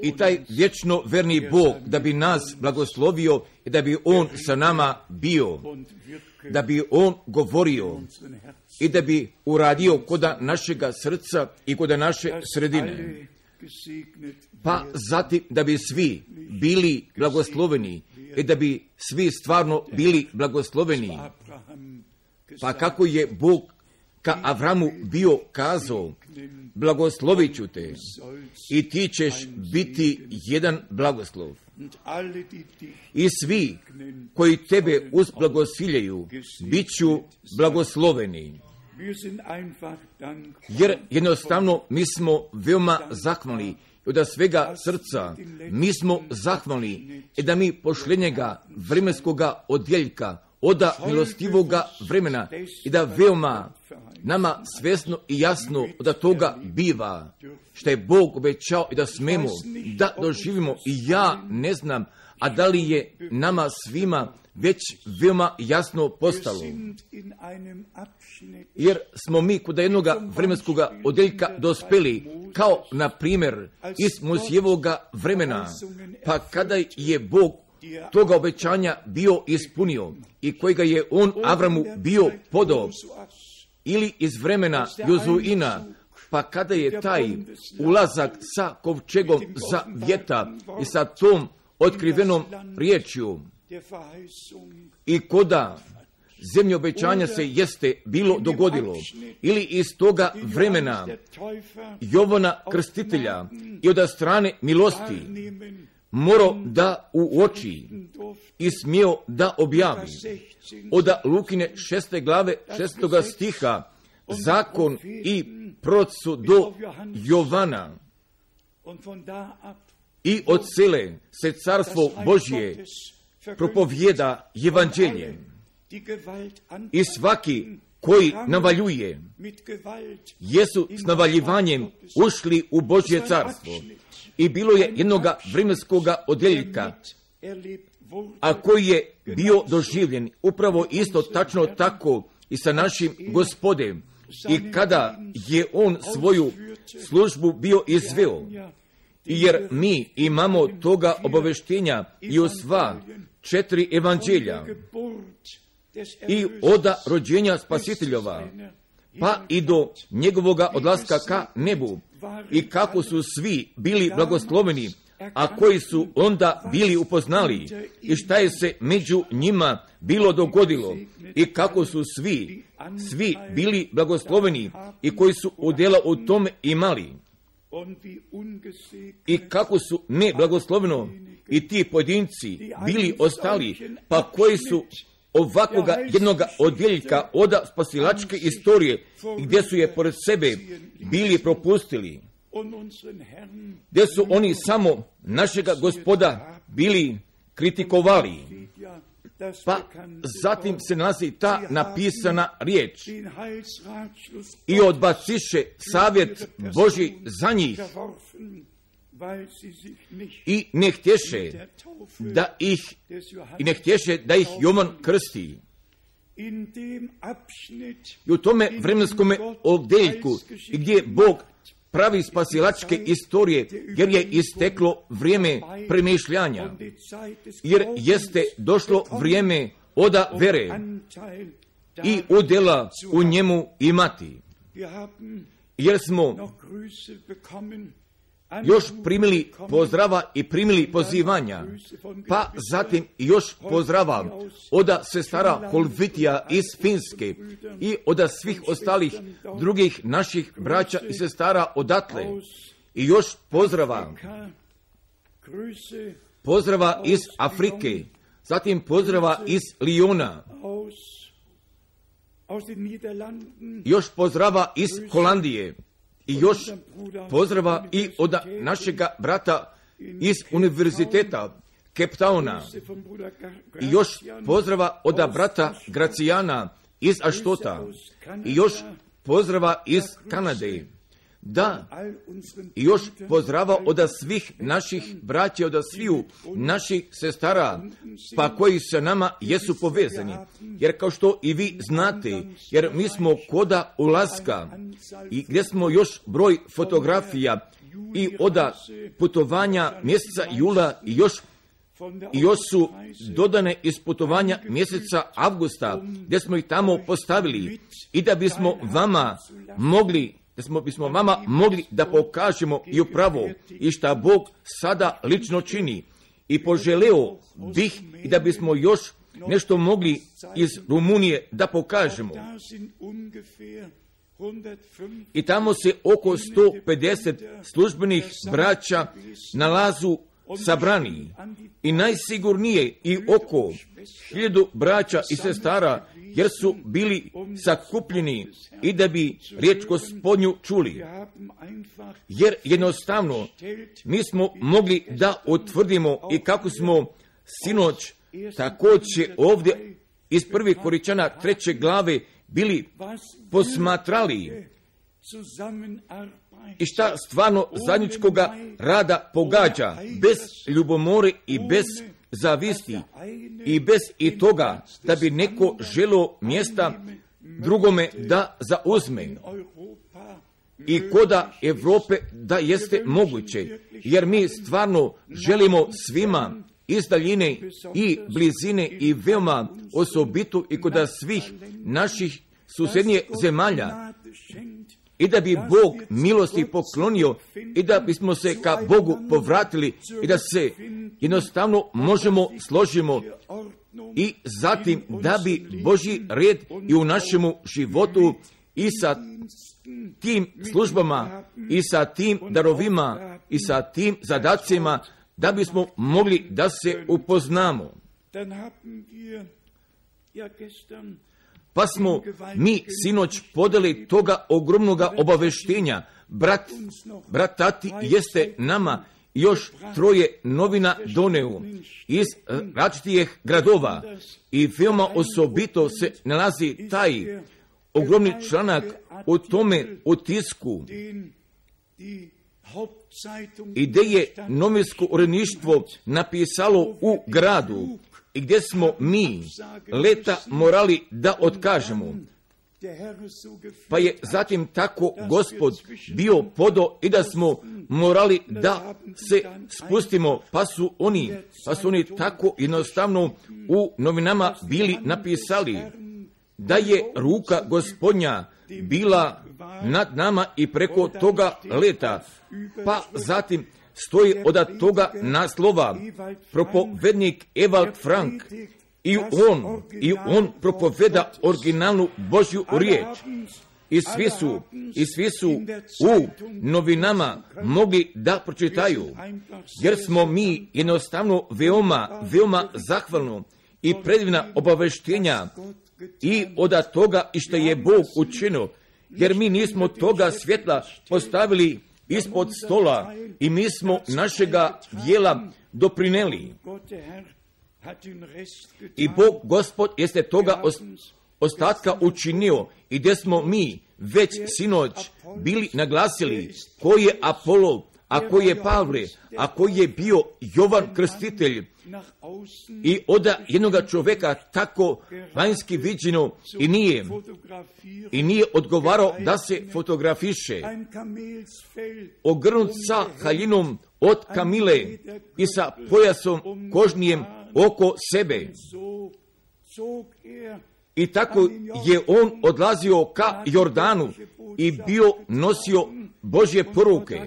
I taj vječno verni Bog da bi nas blagoslovio i da bi On sa nama bio, da bi On govorio i da bi uradio koda našega srca i koda naše sredine. Pa zatim da bi svi bili blagosloveni i da bi svi stvarno bili blagosloveni. Pa kako je Bog ka Avramu bio kazao, blagoslovit ću te i ti ćeš biti jedan blagoslov. I svi koji tebe uzblagosiljaju, bit ću blagosloveni. Jer jednostavno mi smo veoma zahvalni od svega srca, mi smo zahvalni i da mi pošljenjega vremenskoga odjeljka, oda milostivoga vremena i da veoma nama svjesno i jasno od toga biva što je Bog obećao i da smemo da doživimo. I ja ne znam, a da li je nama svima već veoma jasno postalo. Jer smo mi kod jednog vremenskog odjeljka dospeli, kao na primjer iz Mojsijevoga vremena, pa kada je Bog toga obećanja bio ispunio i kojega je on Avramu bio podao, ili iz vremena Jozuina, pa kada je taj ulazak sa kovčegom zavjeta i sa tom otkrivenom riječju i koda zemlje obećanja se jeste bilo dogodilo, ili iz toga vremena Jovana Krstitelja i od strane milosti morao da uoči i smio da objavi od Lukine 6. glave 6. stiha zakon i proroci do Jovana. I od sele se carstvo Božje propovjeda evanđelje. I svaki koji navaljuje, jesu s navaljivanjem ušli u Božje carstvo. I bilo je jednoga vremenskoga odjeljka, a koji je bio doživljen upravo isto tačno tako i sa našim Gospodem. I kada je on svoju službu bio izveo, jer mi imamo toga obaveštenja i u sva 4 evanđelja i od rođenja Spasiteljova, pa i do njegovoga odlaska ka nebu, i kako su svi bili blagosloveni, a koji su onda bili upoznali i šta je se među njima bilo dogodilo i kako su svi bili blagosloveni i koji su udjela u tome imali i kako su neblagosloveno i ti pojedinci bili ostali, pa koji su ovakvoga jednoga odjeljka od spasilačke istorije gdje su je pored sebe bili propustili, gdje su oni samo našega Gospoda bili kritikovali. Pa zatim se nalazi ta napisana riječ i odbaciše savjet Božji za njih i ne htješe da ih Jovan krsti. I u tome vremenskome odjeljku gdje Bog pravi spasilačke istorije, jer je isteklo vrijeme premišljanja, jer jeste došlo vrijeme oda vere i udjela u njemu imati. Jer smo još primili pozdrava i primili pozivanja, pa zatim još pozdrava od sestara Holvitija iz Finske i od svih ostalih drugih naših braća i sestara odatle. I još pozdrava iz Afrike, zatim pozdrava iz Lijona, još pozdrava iz Holandije, i još pozdrava i od našega brata iz univerziteta Cape Towna, i još pozdrava od brata Gracijana iz Aštota, i još pozdrava iz Kanade. da još pozdrava od svih naših braća, od sviju naših sestara, pa koji sa nama jesu povezani. Jer kao što i vi znate, jer mi smo koda ulaska i gdje smo još broj fotografija i od putovanja mjeseca jula i još su dodane iz putovanja mjeseca avgusta, gdje smo ih tamo postavili i da bismo vama mogli da pokažemo i upravo i šta Bog sada lično čini. I poželeo bih i da bismo još nešto mogli iz Rumunije da pokažemo. I tamo se oko 150 službenih braća nalazu sabrani i najsigurnije i oko 1000 braća i sestara, jer su bili sakupljeni i da bi riječ Gospodnju čuli. Jer jednostavno mi smo mogli da utvrdimo i kako smo sinoć također ovdje iz 1. Korinćana 3. glave bili posmatrali i šta stvarno zajedničkoga rada pogađa, bez ljubomore i bez zavisti i bez i toga da bi neko želio mjesta drugome da zauzme. I koda Evrope da jeste moguće, jer mi stvarno želimo svima iz daljine i blizine i veoma osobito i koda svih naših susjednije zemalja, i da bi Bog milosti poklonio i da bismo se ka Bogu povratili i da se jednostavno možemo složimo i zatim da bi Božji red i u našemu životu i sa tim službama i sa tim darovima i sa tim zadacima da bismo mogli da se upoznamo. Pa smo mi sinoć podali toga ogromnoga obaveštenja. Brat Tati jeste nama još 3 novina doneo iz različitih gradova i veoma osobito se nalazi taj ogromni članak o tome u tisku i gdje je novinsko uredništvo napisalo u gradu i gdje smo mi leta morali da otkažemo. Pa je zatim tako Gospod bio podo i da smo morali da se spustimo, pa su oni tako jednostavno u novinama bili napisali da je ruka Gospodnja bila nad nama i preko toga leta. Pa zatim stoji od toga naslova propovednik Ewald Frank i on propoveda originalnu Božju riječ. I svi su u novinama mogli da pročitaju, jer smo mi jednostavno veoma zahvalno i predivna obaveštenja i od toga i što je Bog učinio, jer mi nismo toga svjetla postavili ispod stola i mi smo našega dijela doprineli. I Bog Gospod jeste toga ostatka učinio i gdje smo mi već sinoć bili naglasili ko je Apolo, a ko je Pavle, a ko je bio Jovan Krstitelj. I od jednoga čovjeka tako vanjski viđeno i nije odgovarao da se fotografiše. Ogrnut sa haljinom od kamile i sa pojasom kožnijem oko sebe. I tako je on odlazio ka Jordanu i bio nosio Božje poruke.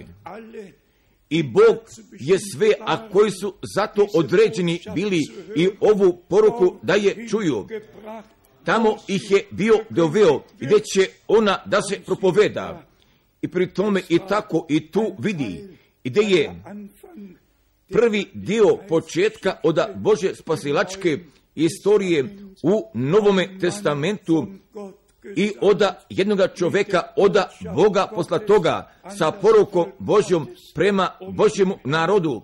I Bog je sve, a koji su zato određeni bili i ovu poruku da je čuju. Tamo ih je bio doveo gdje će ona da se propoveda. I pri tome i tako i tu vidi gdje je prvi dio početka od Božje spasilačke istorije u Novome testamentu i od jednoga čovjeka, od Boga poslatoga sa porukom Božjom prema Božjemu narodu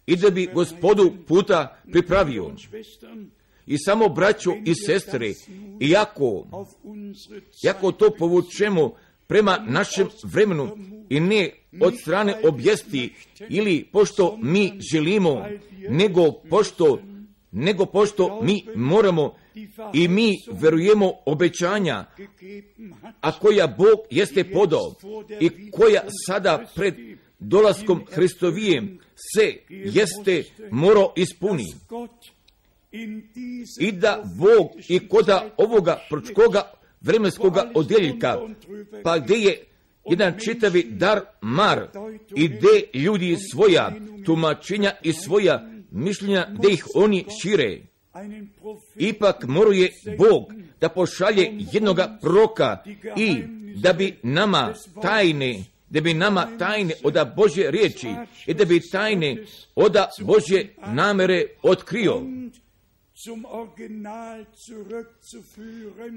i da bi Gospodu puta pripravio. I samo braćo i sestre, iako to povučemo prema našem vremenu i ne od strane objesti ili pošto mi želimo, nego pošto mi moramo i mi verujemo obećanja, a koja Bog jeste podao i koja sada pred dolaskom Hristovijem se jeste morao ispuni. I da Bog i koda ovoga proročkoga vremenskoga odjeljka, pa gdje je jedan čitavi dar mar i gdje ljudi svoja tumačenja i svoja mišljenja, gdje ih oni šire, ipak moruje Bog da pošalje jednoga proroka i da bi nama tajne od Božje riječi i da bi tajne od Božje namere otkrio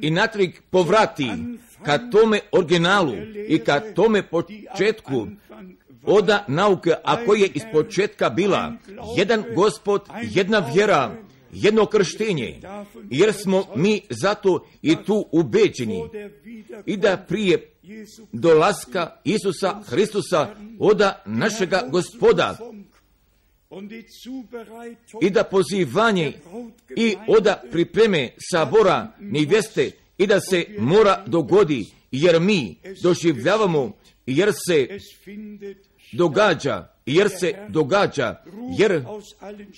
i natrag povrati ka tome originalu i ka tome početku od nauke, a koja je iz početka bila jedan Gospod, jedna vjera, jedno krštenje, jer smo mi zato i tu ubeđeni i da prije dolaska Isusa Hristusa od našega Gospoda i da pozivanje i od pripreme sabora nevjeste i da se mora dogodi, jer mi doživljavamo, jer se događa,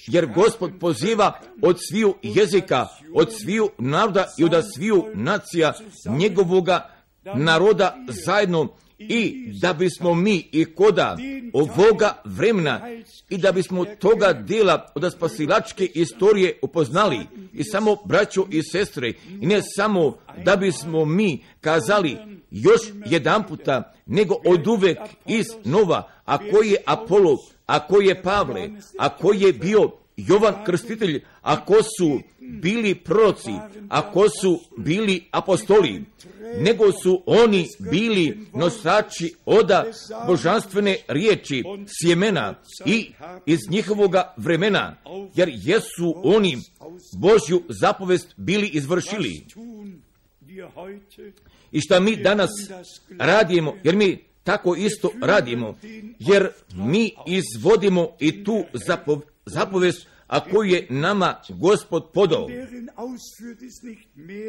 jer Gospod poziva od sviju jezika, od sviju naroda i od sviju nacija njegovoga naroda zajedno, i da bismo mi i koda ovoga vremena i da bismo toga dela od spasilačke istorije upoznali, i samo braćo i sestre, i ne samo da bismo mi kazali još jedan puta, nego od uvek iz nova, a koji je Apolo, a koji je Pavle, a koji je bio Jovan Krstitelj, a ko su bili proroci, a ko su bili apostoli, nego su oni bili nosači od božanstvene riječi, sjemena i iz njihovoga vremena, jer jesu oni Božju zapovest bili izvršili. I šta mi danas radimo, jer mi tako isto radimo, jer mi izvodimo i tu zapovest, a koju je nama Gospod podao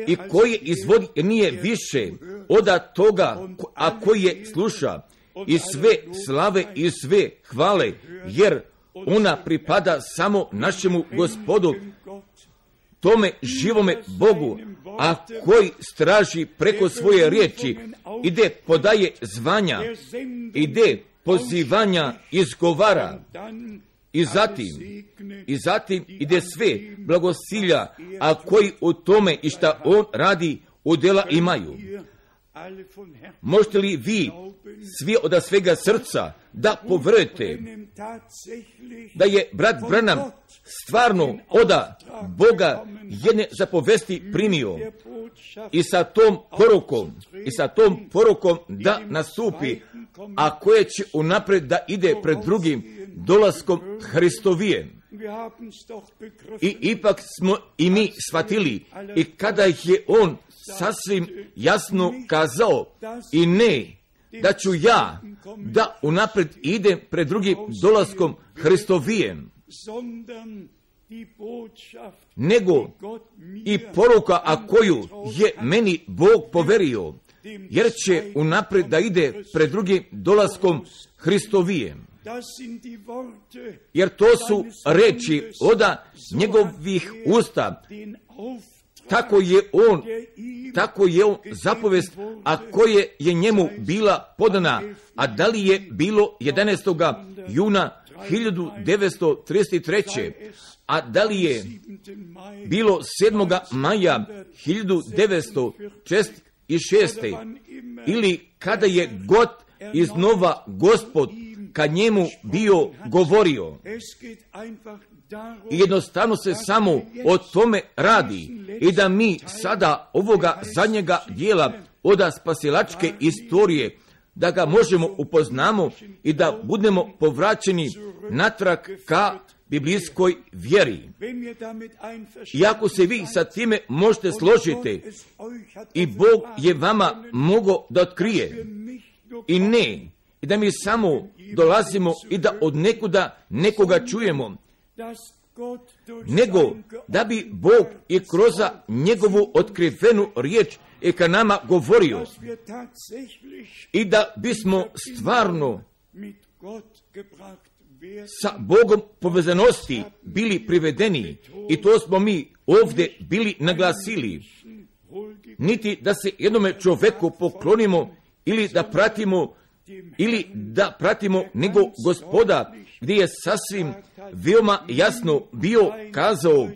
i koje izvodi nije više od toga, a koji je sluša, i sve slave i sve hvale, jer ona pripada samo našemu Gospodu, tome živome Bogu, a koji straži preko svoje riječi, ide podaje zvanja, ide pozivanja izgovara, i zatim ide sve blagosilja, a koji u tome i šta on radi udjela imaju. Možete li vi svi od svega srca da poverujete da je brat Branham stvarno od Boga jedne zapovesti primio i sa tom porukom da nastupi, a koje će unaprijed da ide pred drugim dolaskom Hristovijem. I ipak smo i mi shvatili, i kada je on sasvim jasno kazao, i ne da ću ja da unaprijed idem pred drugim dolaskom Hristovijem, nego i poruka, a koju je meni Bog poverio, jer će unaprijed da ide pred drugim dolaskom Hristovijem. Jer to su reči od njegovih usta, tako je on zapovest, a koje je njemu bila podana, a da li je bilo 11. juna 1933. a da li je bilo 7. maja 1946. ili kada je god iznova Gospod ka njemu bio govorio. I jednostavno se samo o tome radi, i da mi sada ovoga zadnjega dijela od spasilačke istorije, da ga možemo upoznamo i da budemo povraćeni natrag ka biblijskoj vjeri. I ako se vi sa time možete složiti i Bog je vama mogao da otkrije i ne, i da mi samo dolazimo i da od nekuda nekoga čujemo, nego da bi Bog i kroz njegovu otkrivenu riječ i ka nama govorio i da bismo stvarno sa Bogom povezanosti bili privedeni, i to smo mi ovdje bili naglasili. Niti da se jednome čovjeku poklonimo ili da pratimo nego Gospoda, gdje je sasvim veoma jasno bio kazao: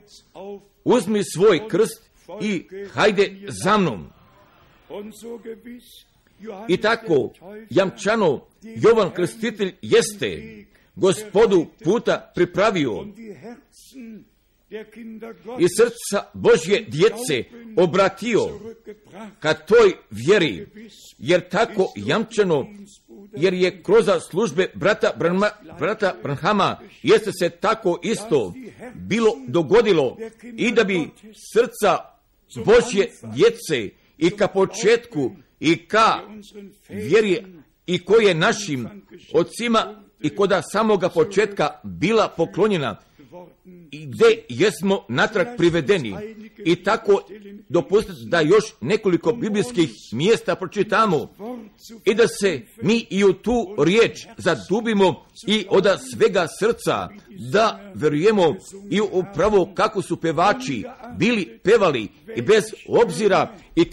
uzmi svoj krst i hajde za mnom. I tako jamčano Jovan Krstitelj jeste Gospodu puta pripravio i srca Božje djece obratio ka toj vjeri, jer tako jamčano, jer je kroz službe brata Branhama jeste se tako isto bilo dogodilo, i da bi srca Božje djece i ka početku i ka vjeri i koje našim ocima i koda samoga početka bila poklonjena, i gdje jesmo natrag privedeni. I tako dopustite da još nekoliko biblijskih mjesta pročitamo i da se mi i u tu riječ zadubimo i od svega srca, da vjerujemo i upravo kako su pevači bili pevali, i bez obzira i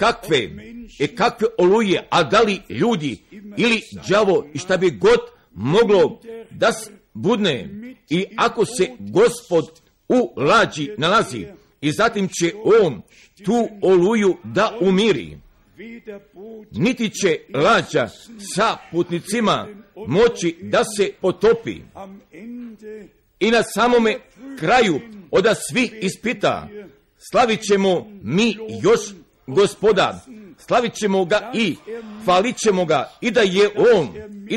kakve oluje, a da li ljudi ili đavo i šta bi god moglo da budne, i ako se Gospod u lađi nalazi, i zatim će on tu oluju da umiri, niti će lađa sa putnicima moći da se potopi. I na samome kraju od svih ispita slavit ćemo mi još Gospoda, slavit ćemo ga i hvalit ćemo ga, i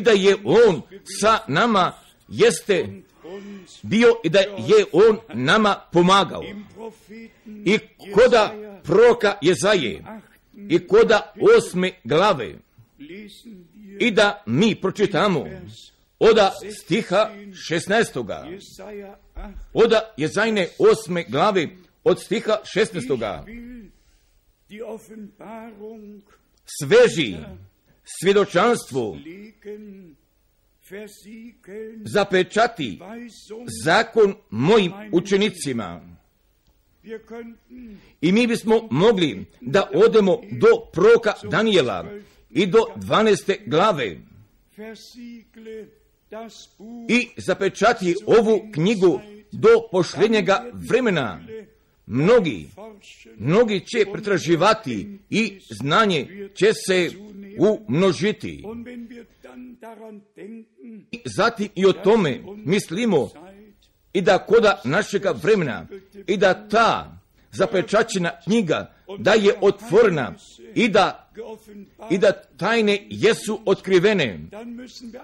da je on sa nama jeste bio i da je on nama pomagao. I koda proroka Jezaje i koda 8. glave, i da mi pročitamo od stiha 16. od Jezajne 8. glave od stiha 16. Sveži svjedočanstvo zapečati zakon mojim učenicima. I mi bismo mogli da odemo do proroka Danijela i do 12. glave i zapečati ovu knjigu do posljednjega vremena. Mnogi će pretraživati i znanje će se umnožiti. Zatim i o tome mislimo, i da koda našega vremena, i da ta zapečaćena knjiga da je otvorena, i da tajne jesu otkrivene,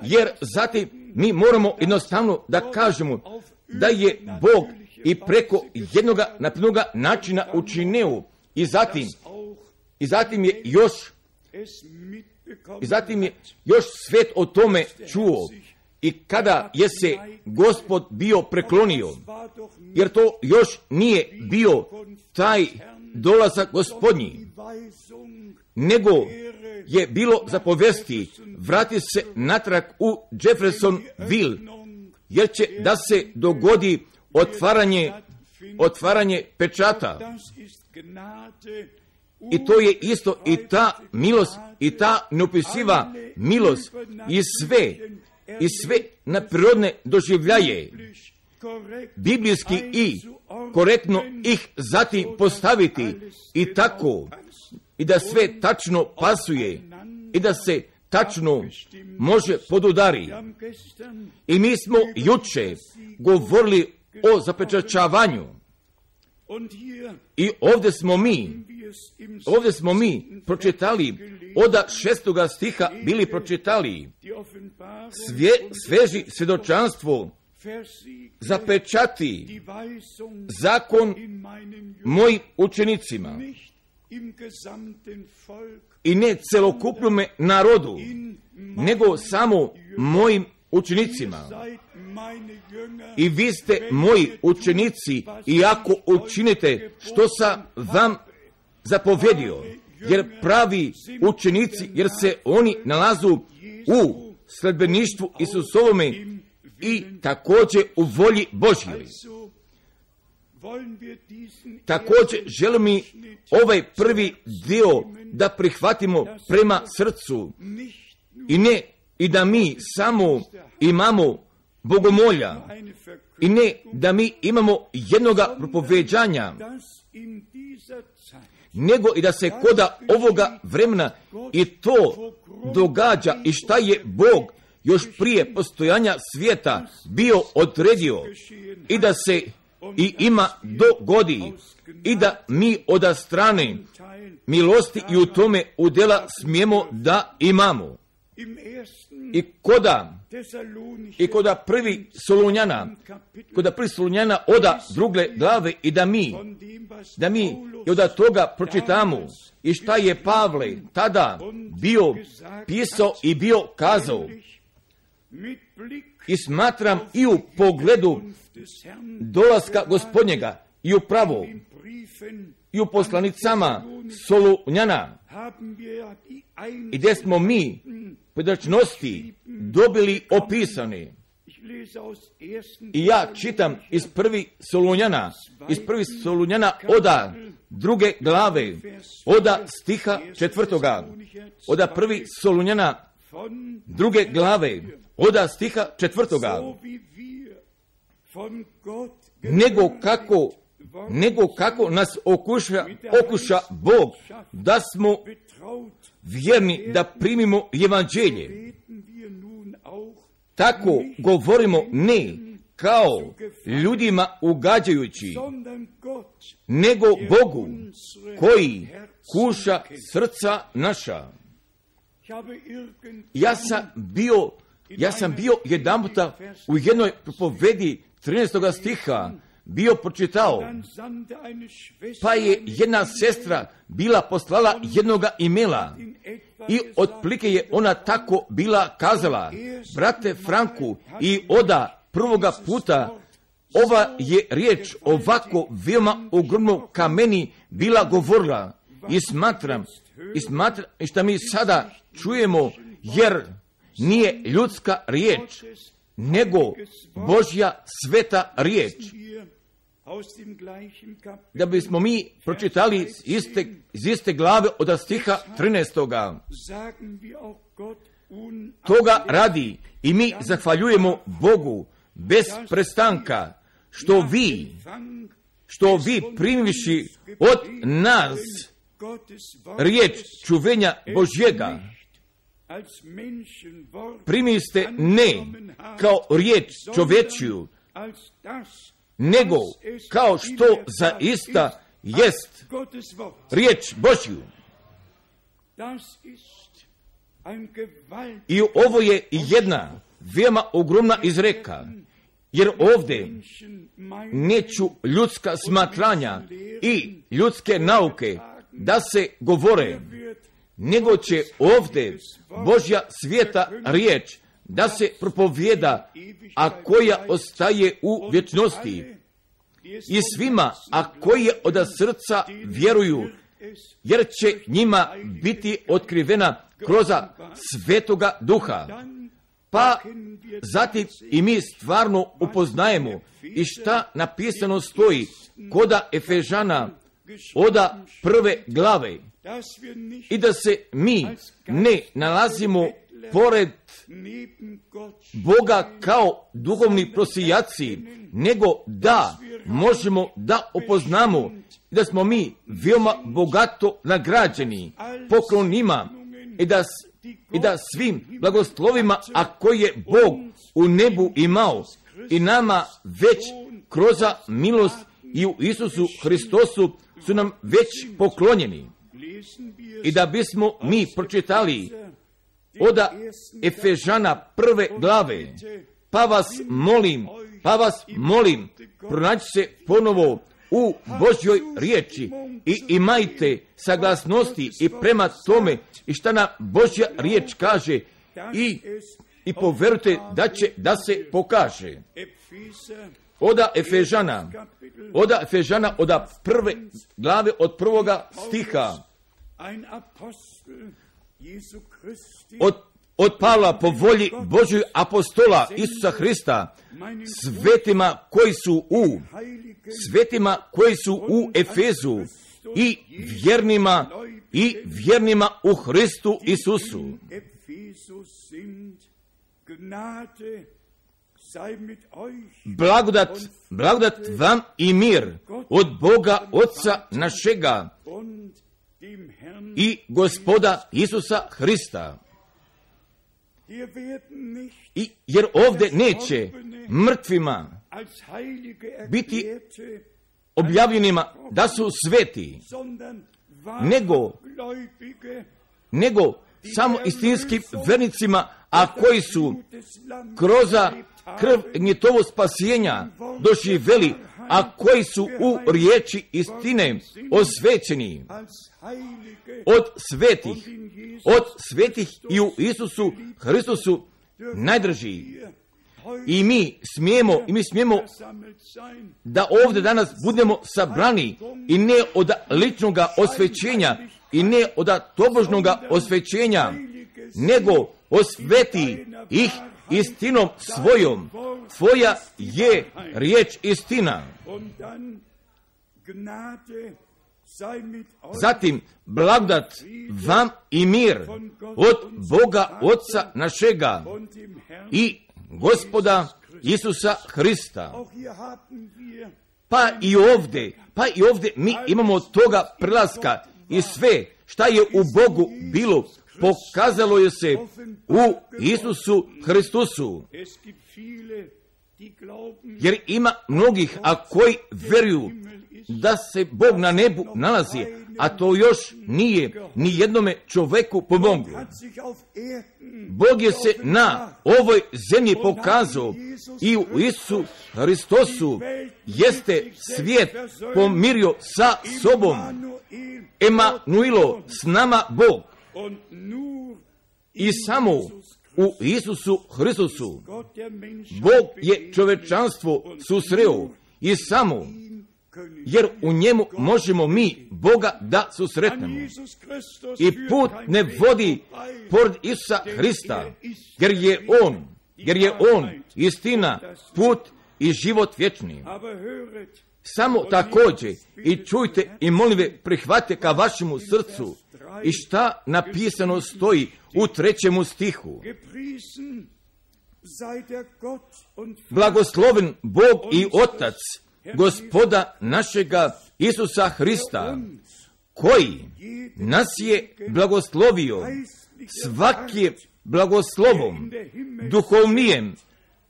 jer zatim mi moramo jednostavno da kažemo da je Bog i preko jednoga naprednoga načina učinio, i zatim je još svet o tome čuo, i kada je se Gospod bio preklonio, jer to još nije bio taj dolazak Gospodnji, nego je bilo zapovesti vrati se natrag u Jeffersonville, jer će da se dogodi otvaranje pečata. I to je isto i ta milost i ta neopisiva milost i sve nadprirodne doživljaje biblijski i korektno ih zatim postaviti, i tako i da sve tačno pasuje i da se tačno može podudari. I mi smo juče govorili o zapečaćavanju, i ovdje smo mi pročitali od 6. stiha bili pročitali sveži svjedočanstvo zapečati zakon mojim učenicima i ne celokupnome narodu, nego samo mojim učenicima. I vi ste moji učenici i ako učinite što sam vam zapovjedio, jer pravi učenici, jer se oni nalazu u sledbeništvu Isusovome i također u volji Božjoj. Također želim mi ovaj prvi dio da prihvatimo prema srcu i da mi samo imamo bogomolja i ne da mi imamo jednoga propoveđanja, nego i da se koda ovoga vremena i to događa i šta je Bog još prije postojanja svijeta bio odredio i da se i ima dogodi i da mi od strane milosti i u tome udjela smijemo da imamo. I koda prvi Solunjana oda druge glave i da mi i od toga pročitamo i šta je Pavle tada bio pisao i bio kazao. I smatram i u pogledu dolaska Gospodnjega i upravo i u poslanicama Solunjana i gdje smo mi predačnosti dobili opisane. I ja čitam iz prvi Solunjana oda druge glave, oda stiha 4. Oda prvi Solunjana druge glave, oda stiha 4. Nego kako nas okuša Bog, da smo vjerni da primimo evanđelje. Tako govorimo ne kao ljudima ugađajući, nego Bogu koji kuša srca naša. Ja sam bio jedanputa u jednoj propovedi 13. stiha bio pročitao, pa je jedna sestra bila poslala jednoga imela i otplike je ona tako bila kazala: brate Franku, i oda prvoga puta ova je riječ ovako veoma ogromno ka meni bila govorila i smatram i šta mi sada čujemo, jer nije ljudska riječ, nego Božja sveta riječ. Da bismo mi pročitali iz iste glave od stiha 13. Toga radi i mi zahvaljujemo Bogu bez prestanka, što vi primivši od nas riječ čuvenja Božjega, primiste ne kao riječ čovječju, nego kao što zaista jest riječ Božju. I ovo je jedna veoma ogromna izreka, jer ovdje neću ljudska smatranja i ljudske nauke da se govore, nego će ovdje Božja svijeta riječ da se propovijeda, a koja ostaje u vječnosti. I svima, a koji od srca vjeruju, jer će njima biti otkrivena kroz Svetoga Duha. Pa zatim i mi stvarno upoznajemo i šta napisano stoji koda Efežana oda prve glave, i da se mi ne nalazimo pored Boga kao duhovni prosijaci, nego da možemo da upoznamo da smo mi veoma bogato nagrađeni poklonima i da svim blagoslovima, a koje je Bog u nebu imao i nama već kroz milost i u Isusu Hristosu su nam već poklonjeni. I da bismo mi pročitali od Efežana prve glave, pa vas molim Pa vas molim, pronaći se ponovo u Božjoj riječi i imajte saglasnosti i prema tome i šta nam Božja riječ kaže i poverujte da će da se pokaže. Oda Efežana, oda prve glave od prvoga stiha. Od Pavla po volji Božjoj apostola Isusa Hrista, svetima koji su u Efezu i vjernima u Hristu Isusu. Blagodat vam i mir od Boga Otca našega i Gospoda Isusa Hrista. Jer ovdje neće mrtvima biti objavljenima da su sveti, nego samo istinskim vernicima, a koji su kroz krv gnjetovo spasijenja doživjeli, a koji su u riječi istine osvećeni od svetih i u Isusu Hristusu najdrži. I mi smijemo da ovdje danas budemo sabrani i ne od ličnog osvećenja i ne od tobožnog osvećenja, nego osveti ih istinom svojom. Tvoja je riječ istina. Zatim, blagodat vam i mir od Boga Otca našega i Gospoda Isusa Hrista. Pa i ovdje mi imamo toga prelaska i sve šta je u Bogu bilo, pokazalo je se u Isusu Hristusu. Jer ima mnogih, a koji vjeruju da se Bog na nebu nalazi, a to još nije ni jednome čovjeku pomoglo. Bog je se na ovoj zemlji pokazao i u Isusu Hristosu jeste svijet pomirio sa sobom. Emanuilo, s nama Bog. I samo u Isusu Hristusu Bog je čovečanstvo susreo i samo jer u njemu možemo mi Boga da susretnemo. I put ne vodi pored Isusa Hrista, jer je On istina, put i život vječni. Samo također i čujte i molim ve prihvatite ka vašemu srcu i šta napisano stoji u 3. stihu. Blagosloven Bog i Otac Gospoda našega Isusa Hrista, koji nas je blagoslovio svakim blagoslovom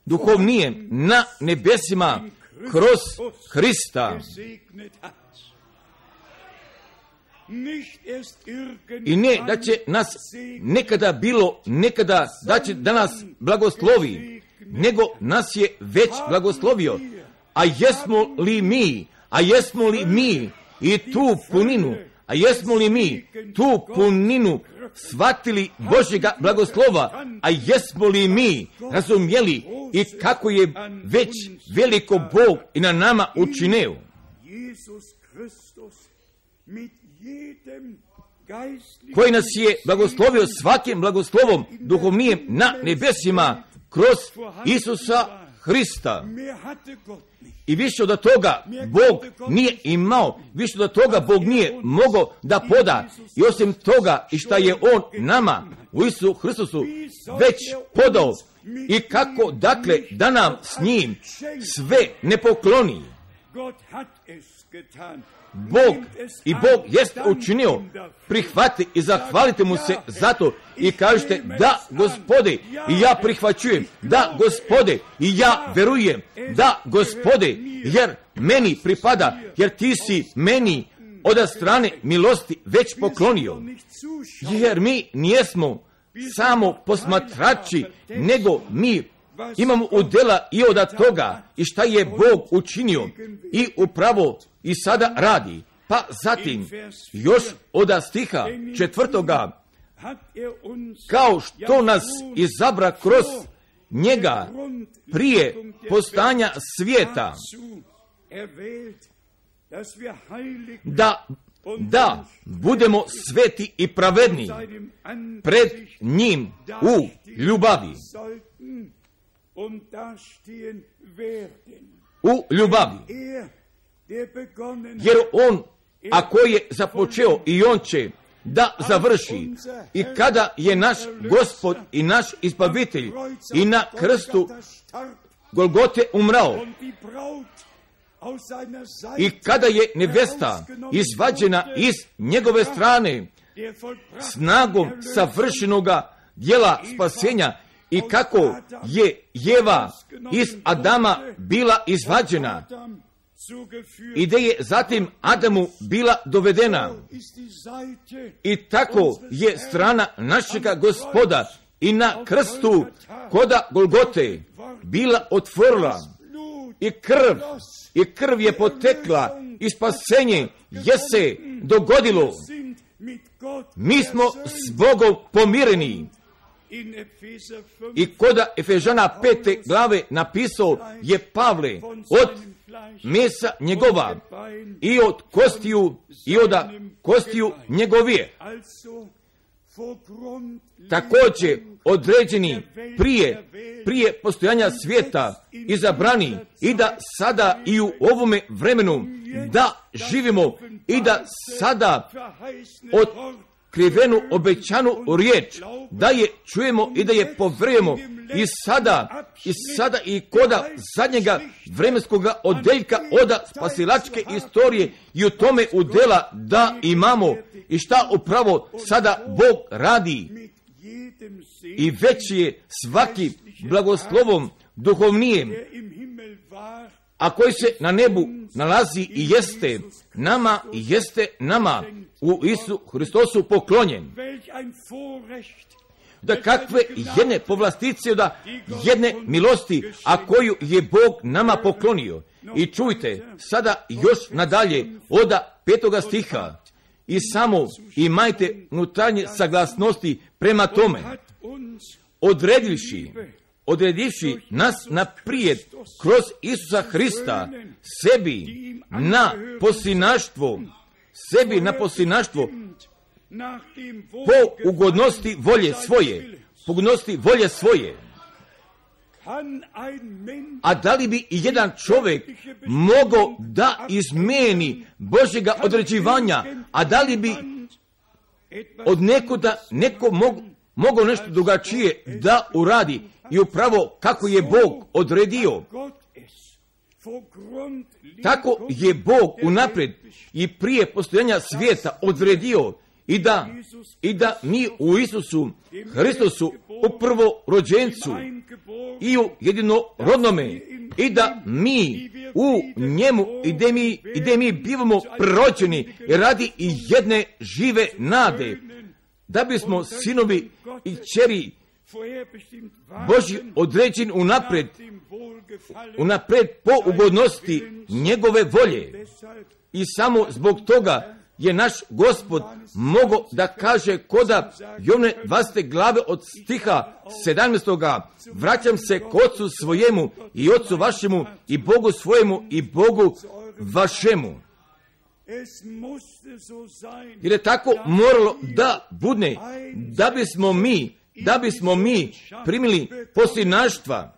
duhovnijem na nebesima kroz Hrista. I ne da će nas nekada da će da nas blagoslovi, nego nas je već blagoslovio. A jesmo li mi i tu puninu shvatili Božjega blagoslova, a jesmo li mi razumjeli i kako je već veliko Bog i na nama učinio. Koji nas je blagoslovio svakim blagoslovom duhovnijem na nebesima kroz Isusa Hrista. I više od toga Bog nije imao, više od toga Bog nije mogao da poda. I osim toga i šta je On nama u Isusu Hristusu već podao. I kako dakle da nam s njim sve ne pokloni. Bog jest učinio, prihvati i zahvalite mu se za to i kažete da Gospode i ja prihvaćujem, da Gospode i ja verujem, da Gospode jer meni pripada, jer ti si meni od strane milosti već poklonio, jer mi nijesmo samo posmatrači, nego mi imamo udjela i od toga i šta je Bog učinio i upravo i sada radi. Pa zatim još od stiha 4. kao što nas izabra kroz njega prije postojanja svijeta, da budemo sveti i pravedni pred njim u ljubavi. U ljubavi. Jer on, ako je započeo, i on će da završi. I kada je naš Gospod i naš Izbavitelj i na krstu Golgote umrao, i kada je nevesta izvađena iz njegove strane snagom savršenoga djela spasenja, i kako je Jeva iz Adama bila izvađena i da je zatim Adamu bila dovedena, i tako je strana našega Gospoda i na krstu koda Golgote bila otvorila, i krv je potekla i spasenje je se dogodilo. Mi smo s Bogom pomireni. I koda Efežana 5. glave napisao je Pavle od mesa njegova i od kostiju njegovije. Također određeni prije postojanja svijeta izabrani, i da sada i u ovome vremenu da živimo i da sada otkrivenu obećanu riječ da je čujemo i da je poverujemo, i sada i koda zadnjega vremenskoga odeljka oda spasilačke istorije i u tome udjela da imamo, i šta upravo sada Bog radi. I već je svaki blagoslovom duhovnijem, a koji se na nebu nalazi i jeste nama u Isu Hristosu poklonjen. Da kakve jedne povlastice, da jedne milosti, a koju je Bog nama poklonio. I čujte sada još nadalje od 5. stiha, i samo imajte unutarnje saglasnosti prema tome, odredivši nas naprijed kroz Isusa Hrista sebi na poslinaštvo po ugodnosti volje svoje. A da li bi i jedan čovjek mogao da izmeni Božjega određivanja, a da li bi od neko mogao nešto drugačije da uradi, i upravo kako je Bog odredio, tako je Bog unaprijed i prije postojanja svijeta odredio, i da mi u Isusu Hristosu, u prvorođencu i u jedinorodnome, i da mi u njemu i da mi bivamo prorođeni radi i jedne žive nade, da bismo sinovi i kćeri Božji određen unaprijed po ugodnosti njegove volje. I samo zbog toga je naš Gospod mogao da kaže koda Jovne 20. glave od stiha 17. vraćam se k Otcu svojemu i Otcu vašemu i Bogu svojemu i Bogu vašemu. Jer je tako moralo da bude, da bismo mi primili posljednaštva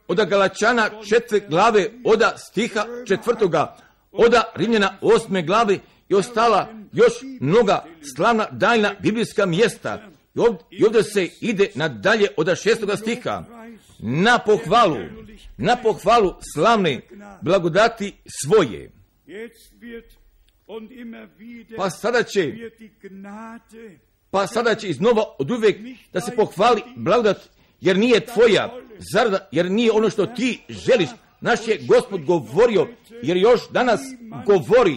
od Galačana 4. glave od stiha 4. od Rimljana 8. glave i ostala još mnoga slavna daljna biblijska mjesta. I ovdje se ide nadalje od 6. stiha na pohvalu slavne blagodati svoje. Pa sada će iznova od uvijek da se pohvali blagodat, jer nije tvoja zarada, jer nije ono što ti želiš. Naš je Gospod govorio, jer još danas govori,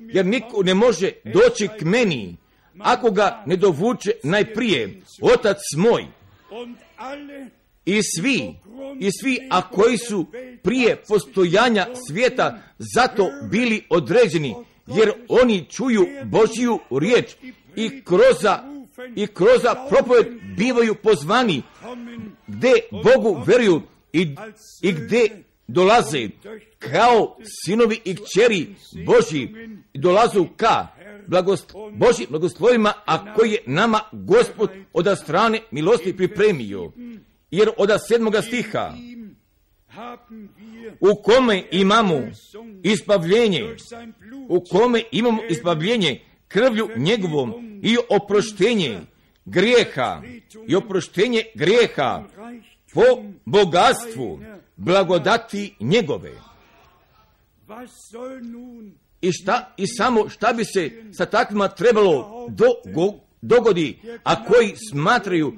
jer niko ne može doći k meni ako ga ne dovuče najprije Otac moj. I svi, a koji su prije postojanja svijeta zato bili određeni, jer oni čuju Božju riječ i kroz propoved bivaju pozvani, gdje Bogu veruju i gdje dolaze kao sinovi i kćeri Božji, dolazu ka Božjim blagoslovima, a koji je nama Gospod od strane milosti pripremio. Jer od 7. stiha, u kome imamo izbavljenje krvlju njegovom i oproštenje grijeha po bogatstvu blagodati njegove. Šta bi se sa takvima trebalo dogodi, a koji smatraju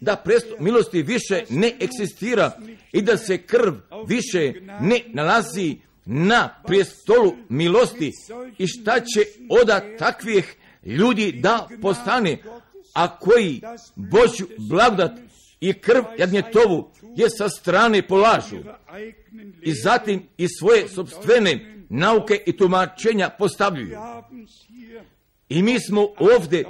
da presto milosti više ne eksistira i da se krv više ne nalazi na prijestolu milosti, i šta će od takvih ljudi da postane, a koji Božju blagodat i krv jagnjetovu je sa strane polažu i zatim i svoje sopstvene nauke i tumačenja postavljaju. I mi smo ovdje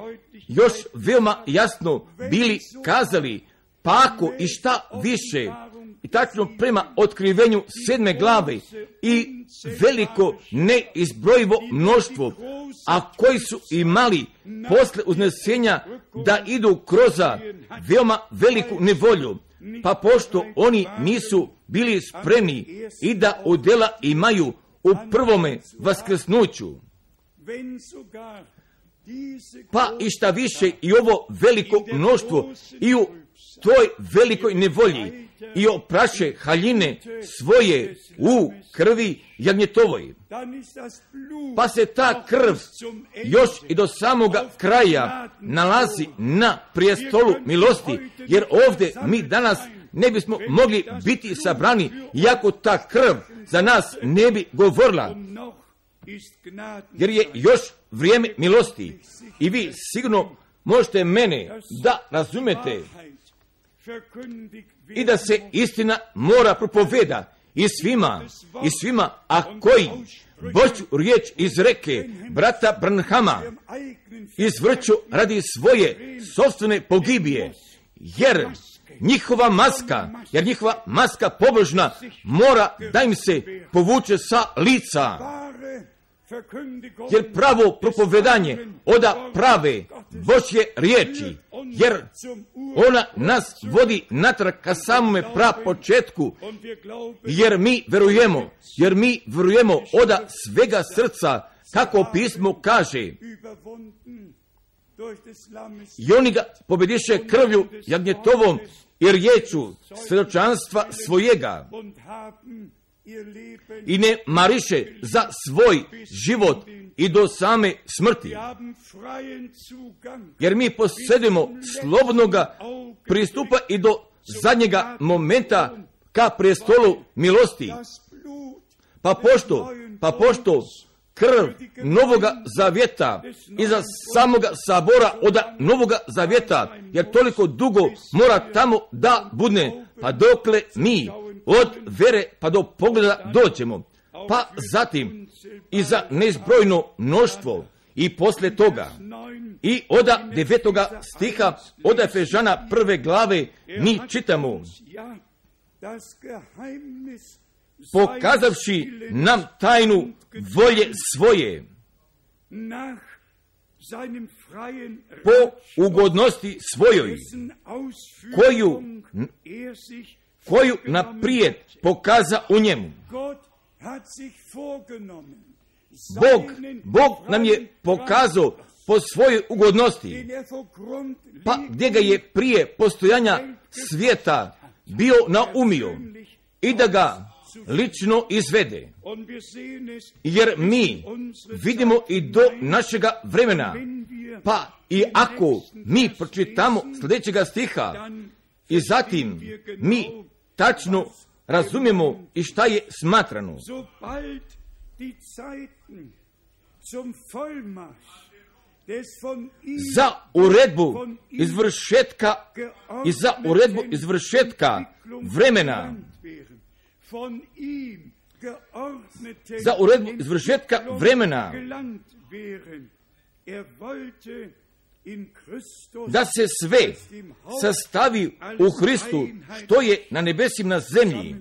još veoma jasno bili kazali, pa ako i šta više, i tačno prema otkrivenju 7. glave i veliko neizbrojivo mnoštvo, a koji su imali posle uznesenja da idu kroz veoma veliku nevolju, pa pošto oni nisu bili spremni i da udjela imaju u prvome vaskrsnuću, pa i šta više i ovo veliko mnoštvo i u toj velikoj nevolji i opraše haljine svoje u krvi jagnjetovoj, pa se ta krv još i do samoga kraja nalazi na prijestolu milosti, jer ovdje mi danas ne bismo mogli biti sabrani, iako ta krv za nas ne bi govorila, jer je još vrijeme milosti. I vi sigurno možete mene da razumete i da se istina mora propoveda i svima, a koji Božju riječ izreke brata Branhama izvrću radi svoje sopstvene pogibije, jer njihova maska pobožna mora da im se povuče sa lica. Jer pravo propovedanje oda prave Božje riječi, jer ona nas vodi natrag ka samome prapočetku, jer mi verujemo oda svega srca, kako pismo kaže, i oni ga pobediše krvlju jagnjetovom i riječu svjedočanstva svojega, i ne mariše za svoj život i do same smrti. Jer mi posjedujemo slobodnoga pristupa i do zadnjega momenta ka prestolu milosti. Pa pošto krv Novoga Zavjeta iza samoga sabora od Novoga Zavjeta, jer toliko dugo mora tamo da budne, pa dokle mi od vere pa do pogleda dođemo, pa zatim i za neizbrojno mnoštvo i posle toga. I od 9. stiha od Efežana 1. glave mi čitamo: pokazavši nam tajnu volje svoje, po ugodnosti svojoj, koju naprijed pokaza u njemu. Bog nam je pokazao po svojoj ugodnosti, pa gdje ga je prije postojanja svijeta bio naumio i da ga lično izvede. Jer mi vidimo i do našega vremena, pa i ako mi pročitamo sljedećega stiha i zatim mi tačno razumijemo i šta je smatrano. za uredbu izvršetka i za uredbu izvršetka vremena, za uredbu izvršetka vremena, da se sve sastavi u Hristu, što je na nebesima, na zemlji.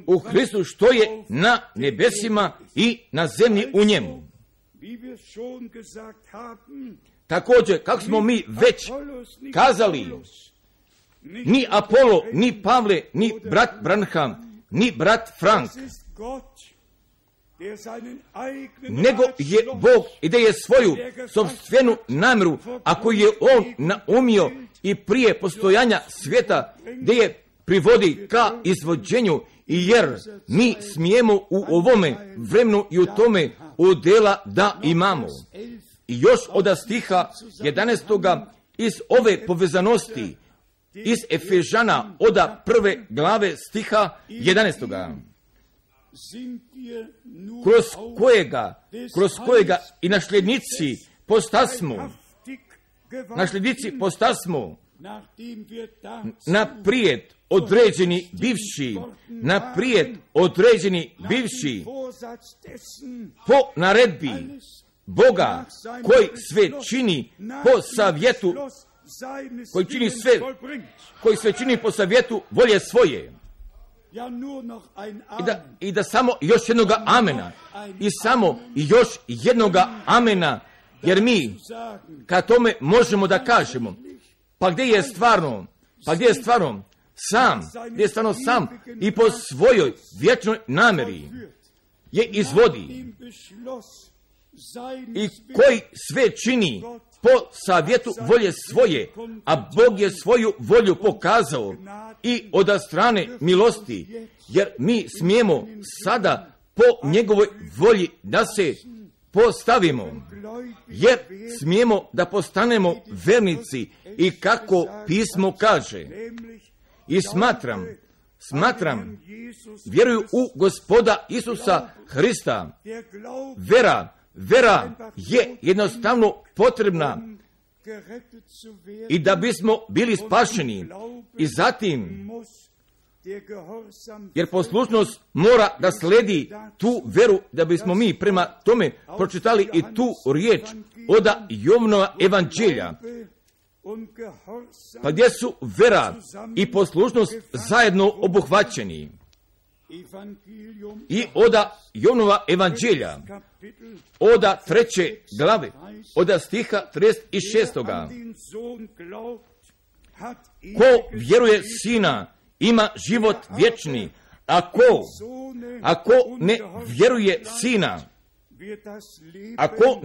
U Hristu, što je na nebesima i na zemlji u njemu. Također, kako smo mi već kazali, ni Apolo, ni Pavle, ni brat Branham, ni brat Frank, nego je Bog i da je svoju sopstvenu namjeru, ako je On naumio i prije postojanja svijeta, da je privodi ka izvođenju, i jer mi smijemo u ovome vremenu i u tome udjela da imamo. I još od stiha 11. iz ove povezanosti, iz Efežana od 1. glave stiha 11. kroz kojega i nasljednici postasmo, naprijed određeni bivši, po naredbi Boga, koji sve čini po savjetu, koji sve čini po savjetu volje svoje. I da samo još jednoga amena, i samo još jednoga amena, jer mi kad tome možemo da kažemo, pa gdje je stvarno sam i po svojoj vječnoj namjeri je izvodi, i koji sve čini po savjetu volje svoje, a Bog je svoju volju pokazao i od strane milosti, jer mi smijemo sada po njegovoj volji da se postavimo, jer smijemo da postanemo vernici, i kako pismo kaže, i smatram, vjeruju u Gospoda Isusa Hrista. Vera je jednostavno potrebna, i da bismo bili spašeni, i zatim, jer poslušnost mora da sledi tu veru, da bismo mi prema tome pročitali i tu riječ od Jovanova evanđelja, pa gdje su vera i poslušnost zajedno obuhvaćeni. I od Jovanova evanđelja, od 3. glave, od stiha 36. Ko vjeruje Sina, ima život vječni, ako ne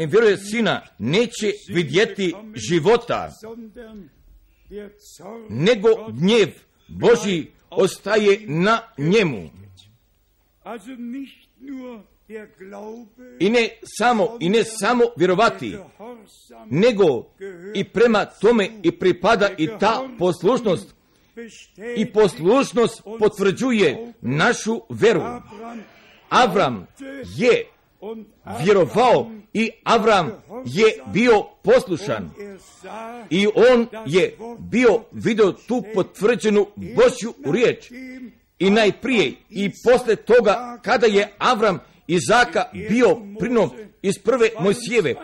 vjeruje Sina, neće vidjeti života, nego gnjev Božji ostaje na njemu. I ne samo vjerovati, nego i prema tome i pripada i ta poslušnost. I poslušnost potvrđuje našu veru. Avram je vjerovao i Avram je bio poslušan. I on je vidio tu potvrđenu Božju riječ. I najprije i posle toga, kada je Avram Izaka bio prinom iz 1. Mojsijeve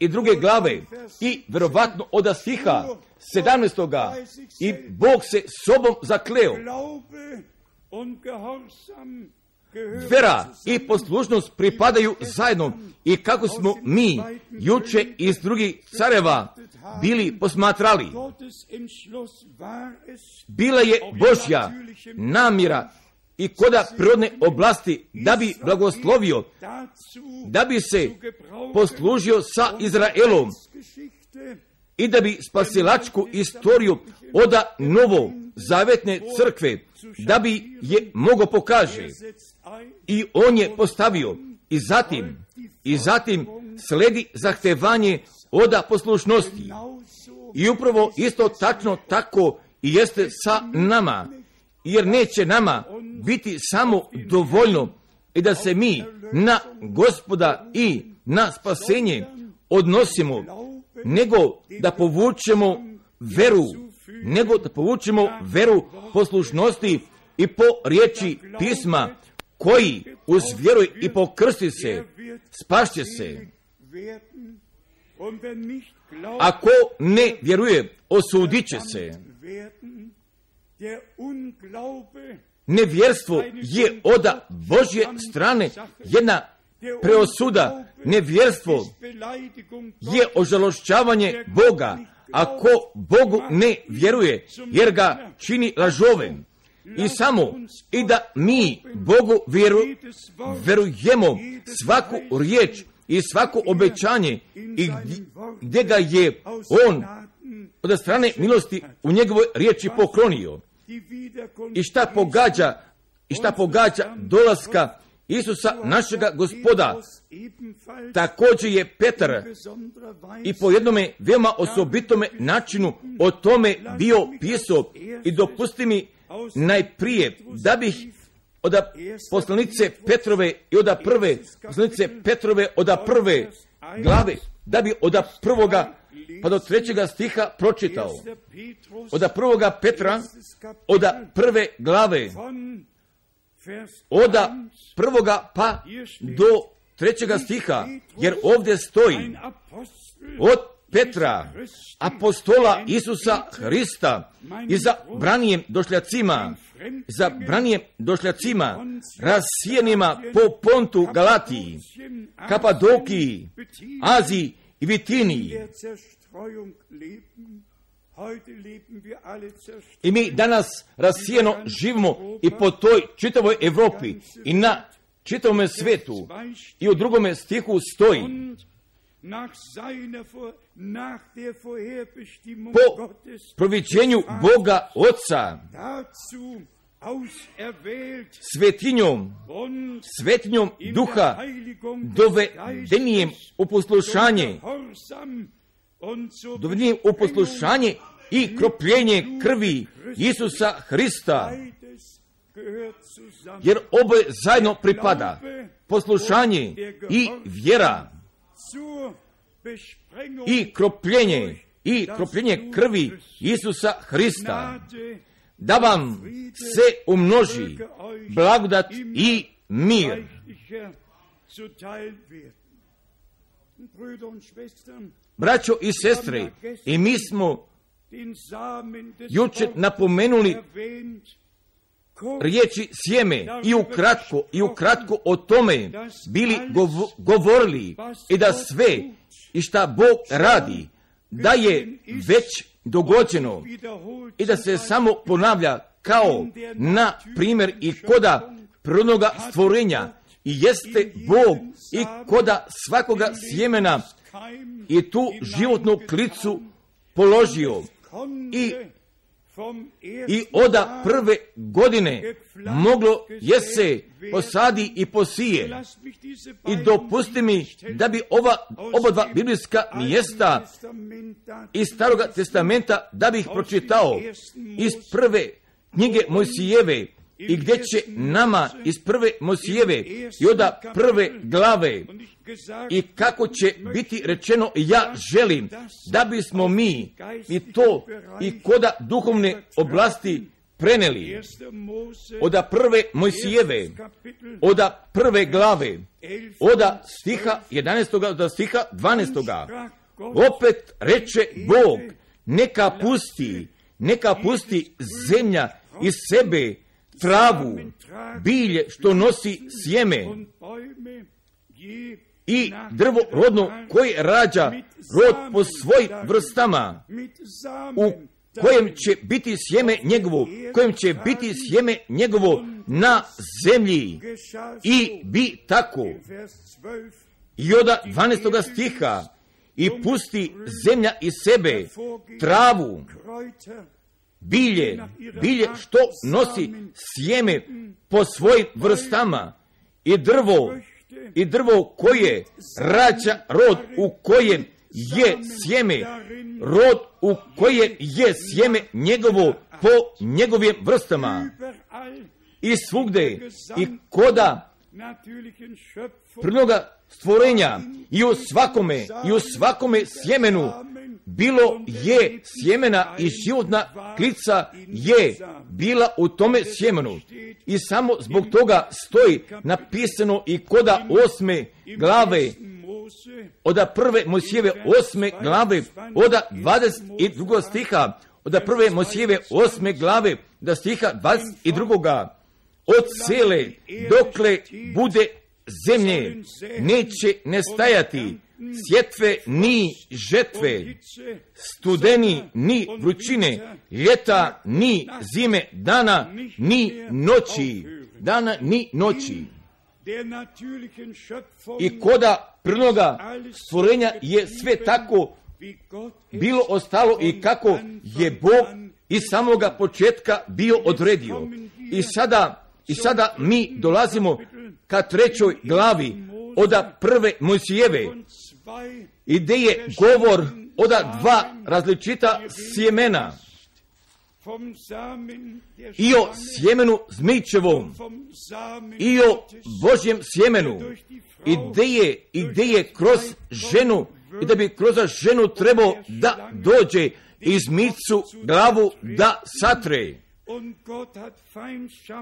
22. glave i vjerovatno od stiha 17. i Bog se sobom zakleo. Vera i poslušnost pripadaju zajedno, i kako smo mi juče iz drugih careva bili posmatrali, bila je Božja namjera i koda prirodne oblasti da bi blagoslovio, da bi se poslužio sa Izraelom i da bi spasilačku istoriju od novozavetne crkve, da bi je mogao pokaže. I on je postavio, i zatim sledi zahtevanje od poslušnosti. I upravo isto tačno tako i jeste sa nama, jer neće nama biti samo dovoljno i da se mi na Gospoda i na spasenje odnosimo, nego da povučemo veru poslušnosti i po riječi pisma, koji uz vjeru i pokrsti se, spašće se. Ako ne vjeruje, osudit će se. Nevjerstvo je od Božje strane jedna preosuda. Nevjerstvo je ožalošćavanje Boga, ako Bogu ne vjeruje, jer ga čini lažovem. I samo i da mi Bogu vjerujemo svaku riječ i svako obećanje, i gdje ga je On od strane milosti u njegovoj riječi poklonio. I šta pogađa dolaska Isusa našega Gospoda. Također je Petar i po jednome veoma osobitome načinu o tome bio pisao. I dopusti mi najprije da bih od poslanice Petrove i od prve poslanice Petrove od prve glave, da bi od prvoga pa do 3. stiha pročitao. Od 1. Petra, od prve glave, od 1. pa do 3. stiha, jer ovdje stoji od Petra, apostola Isusa Hrista, i za branijem došljacima, rasijenima po Pontu, Galatiji, Kapadokiji, Aziji i Bitiniji. I mi danas rasijeno živimo i po toj čitavoj Europi i na čitavom svijetu. I u 2. stihu stoji: po proviđenju Boga Otca, svetinjom Duha, dovedenijem u poslušanje i kropljenje krvi Isusa Hrista. Jer oboje zajedno pripada, poslušanje i vjera i kropljenje krvi Isusa Hrista, da vam se umnoži blagodat i mir. Braćo i sestre, i mi smo jučer napomenuli riječi sjeme i ukratko o tome bili govorili, i da sve i šta Bog radi, da je već dogođeno i da se samo ponavlja kao na primjer i koda prvoga stvorenja, i jeste Bog i koda svakoga sjemena i tu životnu klicu položio, i od prve godine moglo je se posadi i posije. I dopusti mi da bi oba dva biblijska mjesta iz Staroga testamenta da bih pročitao iz prve knjige Mojsijeve, i gdje će nama iz prve Mojsijeve i od prve glave i kako će biti rečeno, ja želim da bismo mi i to i koda duhovne oblasti preneli. Od prve Mojsijeve, od prve glave, od stiha 11. do stiha 12. Opet reče Bog, neka pusti zemlja iz sebe travu, bilje što nosi sjeme, i drvo rodno koje rađa rod po svojim vrstama, u kojem će biti sjeme njegovo na zemlji, i bi tako. I od 12. stiha, i pusti zemlja iz sebe travu, bilje što nosi sjeme po svojim vrstama, i drvo koje rađa rod u kojem je sjeme, rod u kojem je sjeme njegovo po njegovim vrstama. I svugde, i koda prirodnoga stvorenja i u svakome sjemenu bilo je sjemena i životna klica je bila u tome sjemenu. I samo zbog toga stoji napisano i koda 8. glave, od 1. Mojsijeve 8. glave, od 22. stiha, od 1. Mojsijeve 8. glave, do stiha 22. Od cele dokle bude zemlje neće nestajati sjetve ni žetve, studeni ni vrućine, ljeta ni zime, dana ni noći. I koda prirodnoga stvorenja je sve tako bilo ostalo i kako je Bog iz samoga početka bio odredio. I sada mi dolazimo ka 3. glavi od 1. Mojsijeve, i gdje je govor od 2 različita sjemena, i o sjemenu zmičevom i o Božjem sjemenu, i gdje je kroz ženu, i da bi kroz ženu trebao da dođe i zmicu glavu da satre.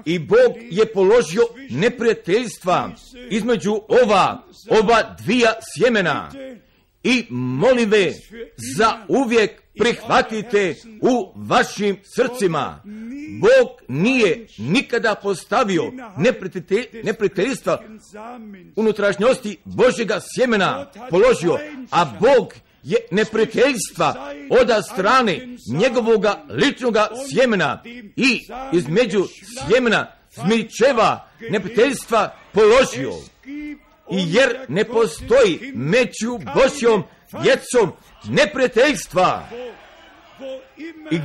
I Bog je položio neprijateljstva između oba dvija sjemena. I molive za uvijek prihvatite u vašim srcima. Bog nije nikada postavio neprijateljstva unutrašnjosti Božjega sjemena položio, a Bog je neprijateljstva od strane njegovoga ličnoga sjemena i između sjemena zmičeva neprijateljstva položio. I jer ne postoji među Božjom djecom neprijateljstva. I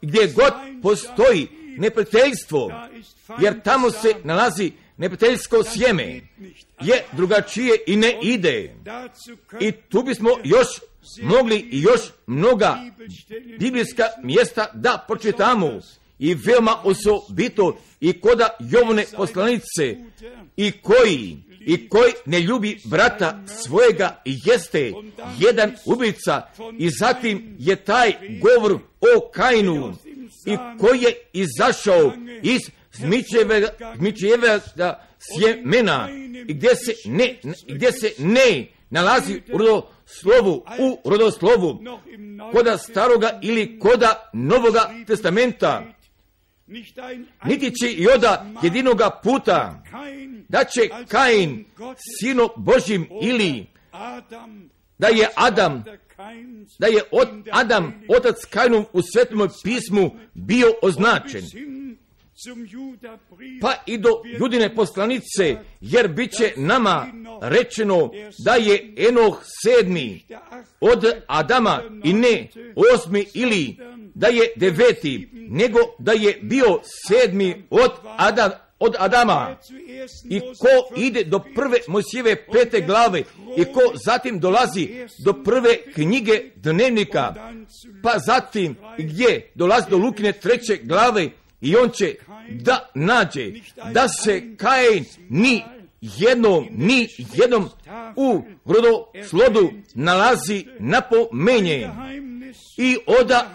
gdje god postoji neprijateljstvo, jer tamo se nalazi neprijateljsko sjeme, je drugačije i ne ide. I tu bismo još mogli i još mnoga biblijska mjesta da pročitamo, i veoma osobito i koda Jovane poslanice, i koji ne ljubi brata svojega jeste jedan ubica. I zatim je taj govor o Kainu, i koji je izašao iz zmičevega sjemena, i gdje se ne nalazi u rodoslovu koda staroga ili koda Novoga testamenta, niti će i oda jedinoga puta da će Kain sino Božim, ili da je Adam otac Kainov u Svetom pismu bio označen, pa i do Judine poslanice, jer bit će nama rečeno da je Enoh 7. od Adama i ne 8. ili da je 9. nego da je bio 7. od Adama. I ko ide do 1. Mojsijeve 5. glave i ko zatim dolazi do 1. knjige dnevnika, pa zatim gdje dolazi do Lukine 3. glave, i on će da nađe da se Kain ni jednom u rodoslodu nalazi napomenje. I oda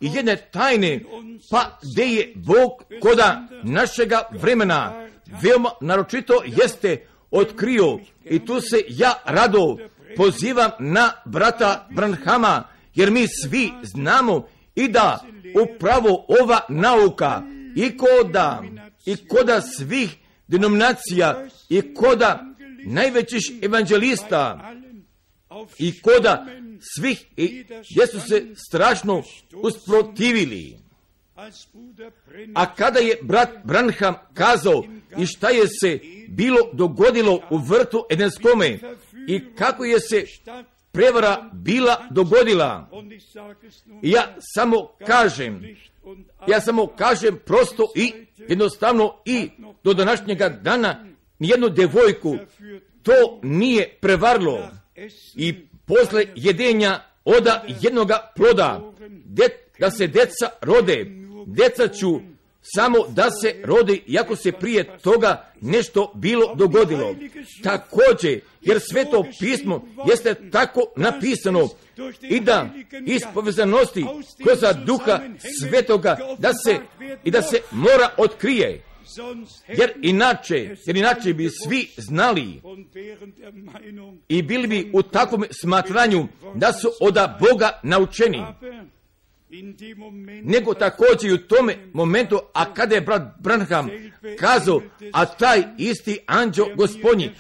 jedne tajne, pa gdje je Bog koda našega vremena veoma naročito jeste otkrio. I tu se ja rado pozivam na brata Branhama, jer mi svi znamo i da upravo ova nauka i koda svih denominacija i koda najvećih evanđelista i koda svih, gdje su se strašno usprotivili. A kada je brat Branham kazao i šta je se bilo dogodilo u vrtu Edenskome i kako je se prevara bila dogodila, ja samo kažem prosto i jednostavno, i do današnjega dana nijednu devojku to nije prevarilo. I posle jedenja oda jednoga ploda, da se deca rode, deca ću samo da se rodi, iako se prije toga nešto bilo dogodilo. Također, jer Sveto pismo jeste tako napisano i da iz povezanosti kroz Duha Svetoga da se mora otkrije. Jer inače bi svi znali i bili bi u takvom smatranju da su od Boga naučeni. Nego također i u tome momentu, a kada je brat Branham kazao, a taj isti anđeo Gospodnji,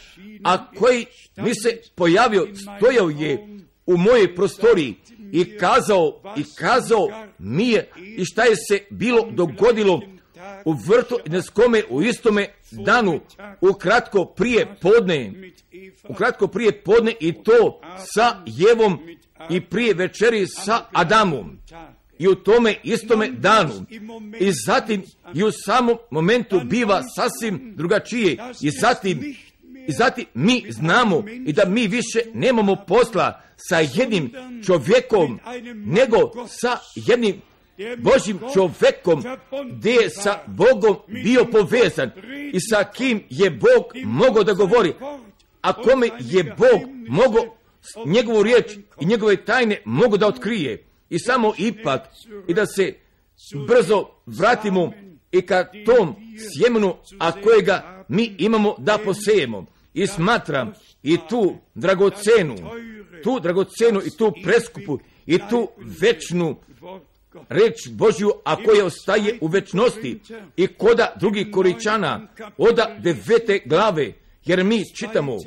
a koji mi se pojavio, stojao je u mojoj prostoriji i kazao mi je i šta je se bilo dogodilo u vrtu Edenskome u istome danu, ukratko prije podne i to sa Jevom i prije večeri sa Adamom. I u tome istome danu. I zatim i u samom momentu biva sasvim drugačije. I zatim mi znamo i da mi više nemamo posla sa jednim čovjekom, nego sa jednim Božjim čovjekom, gdje je sa Bogom bio povezan i sa kim je Bog mogao da govori, a kome je Bog mogao njegovu riječ i njegove tajne mogu da otkrije. I samo ipak, i da se brzo vratimo i ka tom sjemenu, a kojega mi imamo da posejemo. I smatram i tu dragocenu i tu preskupu i tu večnu reč Božju, a koja ostaje u večnosti. I koda drugih Koričana, oda 9. glave, jer mi čitamo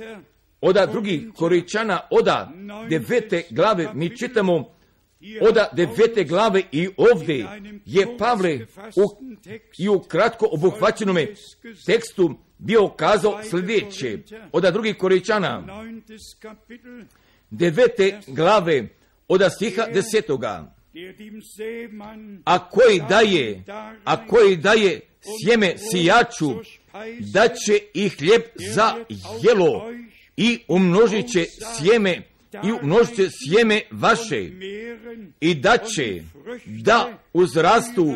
oda drugih Koričana, oda 9. glave, mi čitamo oda 9. glave i ovdje je Pavle i u kratko obuhvaćenome tekstu bio kazao sljedeće. Oda drugih Koričana 9. glave oda stiha 10. A koji daje sjeme sijaču, da će i hljeb za jelo i umnožit će sjeme vaše i da će da uzrastu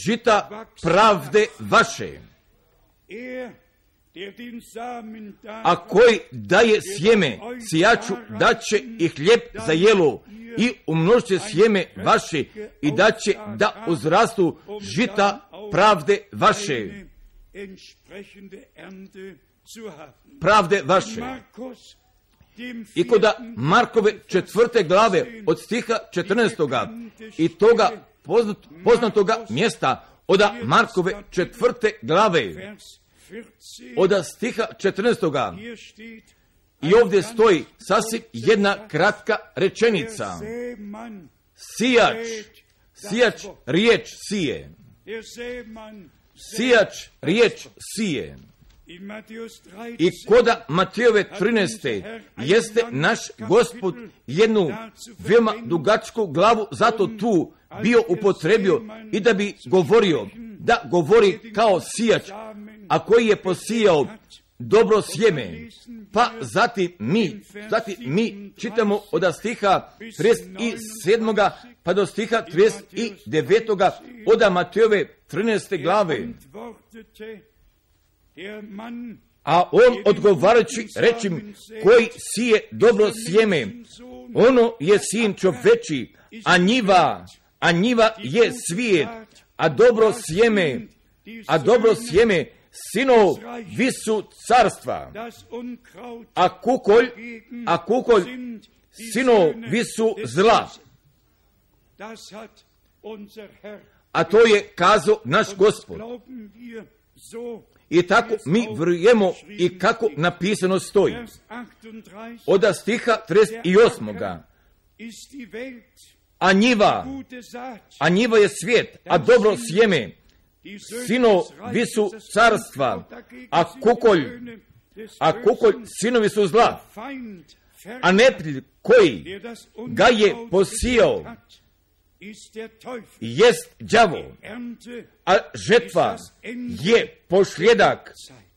žita pravde vaše. A koji daje sjeme sijaču, da će i hljeb za jelo i umnožit će sjeme vaše i da će da uzrastu žita pravde vaše. Pravde vaše. I kod Markove 4. glave od stiha 14. i toga poznatoga mjesta od Markove 4. glave od stiha 14. I ovdje stoji sasvim jedna kratka rečenica. Sijač riječ sije. Sijač riječ sije. I koda Matejove 13. jeste naš Gospod jednu veoma dugačku glavu zato tu bio upotrebio i da bi da govori kao sijač, a koji je posijao dobro sjeme. Pa zatim mi čitamo od stiha 37. pa do stiha 39. od Matejove 13. glave. A on odgovarajući reći koji sije dobro sjeme, ono je sin čoveči, a njiva je svijet, a dobro sjeme sinov visu carstva, a kukolj sinov visu zla. A to je kazao naš Gospod. I tako mi vjerujemo i kako napisano stoji. Od stiha 38. A njiva je svijet, a dobro sjeme sino visu carstva, a kukolj sinovi su zla, a neprijatelj koji ga je posijao jest đavo, a žetva je posljedak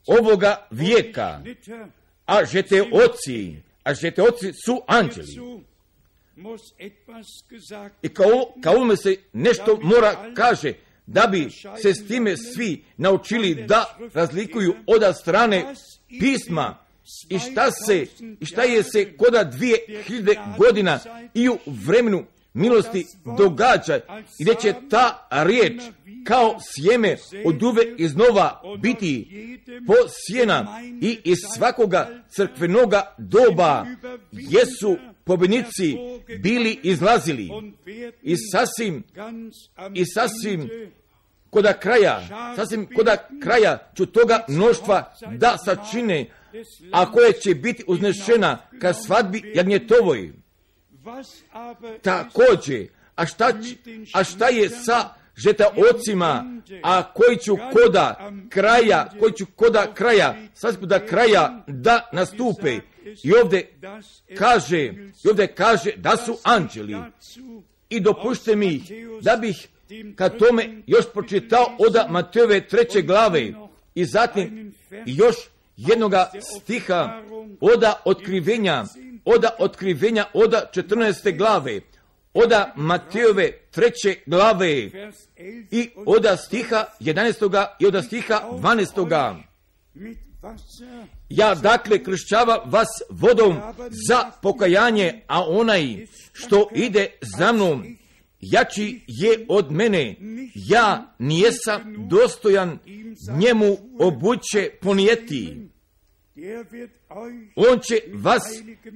ovoga vijeka, a žeteoci su anđeli. I kao ovome se nešto mora kaže, da bi se s time svi naučili da razlikuju od strane pisma i šta je se koda 2000 godina i u vremenu milosti događa i gdje će ta riječ kao sjeme od uvek iznova biti posijena i iz svakoga crkvenoga doba jesu pobjednici bili izlazili i sasvim koda kraja ću toga mnoštva da sačine, a koje će biti uznešena ka svadbi jagnjetovoj. Također, a šta je sa žetaocima, a koji ću koda kraja da nastupe. I ovdje kaže da su anđeli. I dopušte mi da bih kad tome još pročitao od Matejove 3. glave i zatim još jednoga stiha od otkrivenja od 14. glave, od Matejove 3. glave i od stiha 11. i od stiha 12. Ja dakle kršćava vas vodom za pokajanje, a onaj što ide za mnom jači je od mene, ja nijesam dostojan njemu obuće ponijeti. On će vas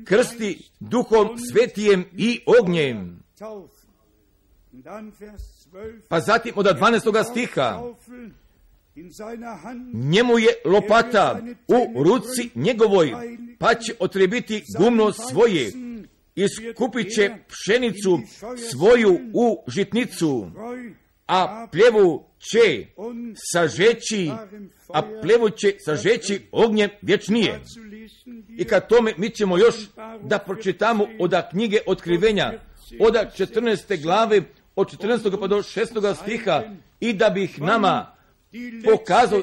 krsti Duhom Svetijem i ognjem. Pa zatim od 12. stiha, njemu je lopata u ruci njegovoj, pa će otrebiti gumno svoje, iskupit će pšenicu svoju u žitnicu, a pljevu će sažeći ognjem vječnije. I kad tome mi ćemo još da pročitamo od knjige Otkrivenja, od 14. glave, od 14. pa do 6. stiha, i da bih nama pokazao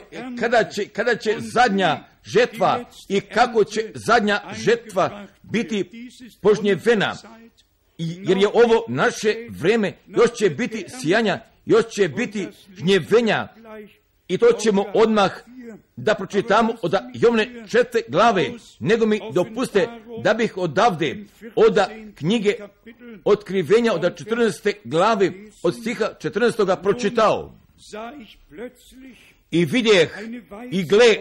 kada će zadnja žetva i kako će zadnja žetva biti požnjevena. Jer je ovo naše vreme, još će biti sijanja, još će biti žnjevenja. I to ćemo odmah da pročitamo od Jovne 4. glave, nego mi dopuste da bih odavde od knjige Otkrivenja od 14. glave od stiha 14. pročitao. I vidjeh i gle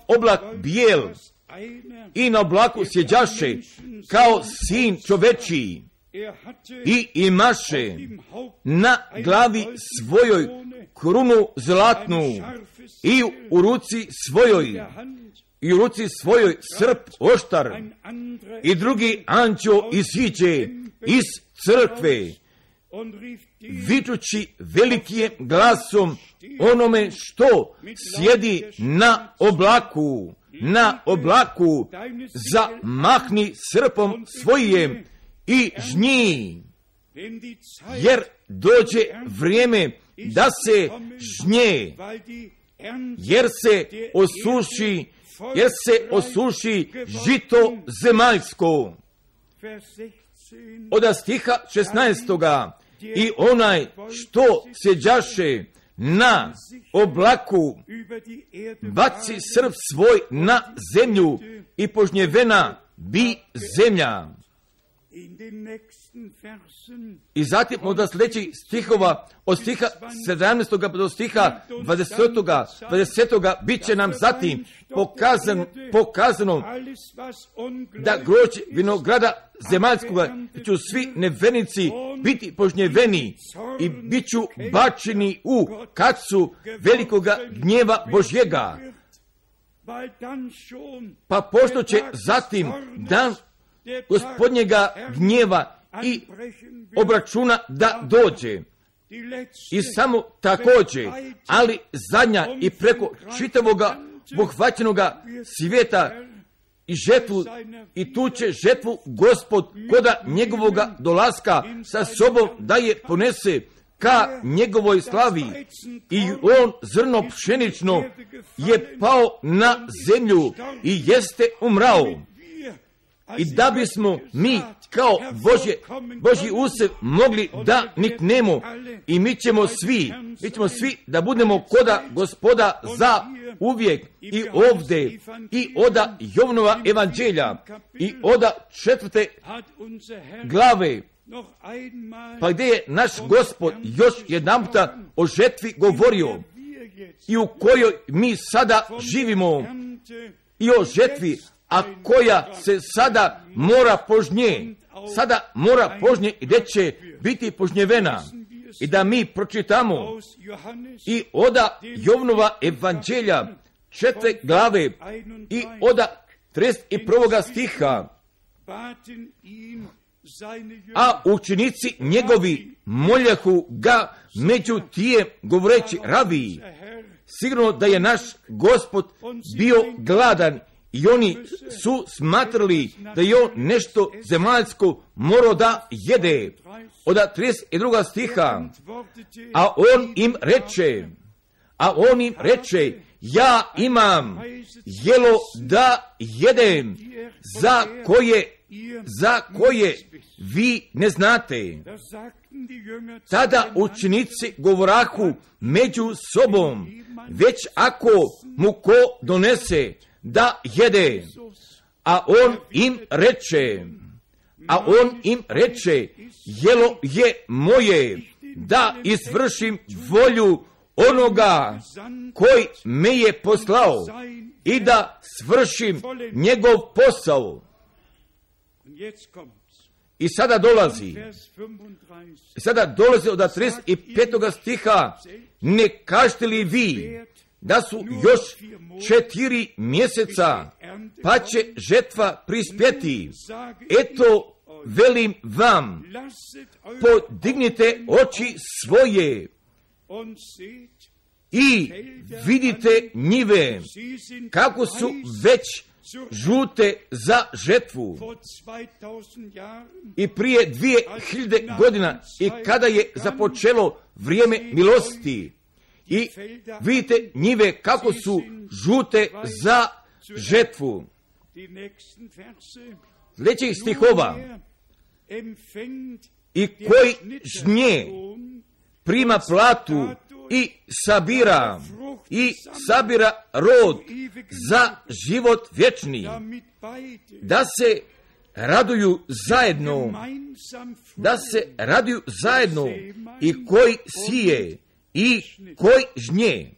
oblak bijel i na oblaku sjeđaše kao sin čovečiji i imaše na glavi svojoj krunu zlatnu i u ruci svojoj srp oštar. I drugi anđeo iziđe iz crkve vičući velikim glasom onome što sjedi na oblaku, zamahni srpom svojim i žnji, jer dođe vrijeme da se žnje, jer se osuši žito zemaljsko. Od stiha 16. I onaj što sjeđaše na oblaku baci srp svoj na zemlju i požnjevena bi zemlja. I zatim od sljedećih stihova, od stiha 17. pa do stiha 20. bit će nam zatim pokazano da grožđe vinograda zemaljskoga ću svi nevernici biti požnjeveni i bit ću bačeni u kacu velikoga gnjeva Božjega. Pa pošto će zatim dan Gospodnjega gnjeva i obračuna da dođe. I samo također, ali zadnja i preko čitavoga pohvaćenoga svijeta i žetvu, i tu će žetvu Gospod koda njegovoga dolaska sa sobom da je ponese ka njegovoj slavi. I on zrno pšenično je pao na zemlju i jeste umrao. I da bismo mi kao Božji usjev mogli da niknemo i mi ćemo svi da budemo koda Gospoda za uvijek i ovdje i oda Jovnova evanđelja i oda 4. glave, pa gdje je naš Gospod još jedanputa o žetvi govorio i u kojoj mi sada živimo i o žetvi, a koja se sada mora požnje i gdje će biti požnjevena. I da mi pročitamo i oda Jovnova evanđelja 4. glave i oda 31. stiha. A učenici njegovi moljahu ga među tijem govoreći: Rabi, sigurno da je naš Gospod bio gladan i oni su smatrali da je on nešto zemaljsko morao da jede. Od 32. stiha. A on im reče: ja imam jelo da jedem, za koje vi ne znate. Tada učenici govorahu među sobom: već ako mu ko donese da jede. A on im reče: jelo je moje, da izvršim volju onoga koji me je poslao i da svršim njegov posao. I sada dolazi od 35. stiha: ne kažete li vi da su još 4 mjeseca, pa će žetva prispjeti? Eto, velim vam, podignite oči svoje i vidite njive, kako su već žute za žetvu. I prije 2000 godina i kada je započelo vrijeme milosti, i vidite njive kako su žute za žetvu. Sljedećih stihova: i koji žnje prima platu i sabira rod za život vječni, da se raduju zajedno i koji sije i koji žnje.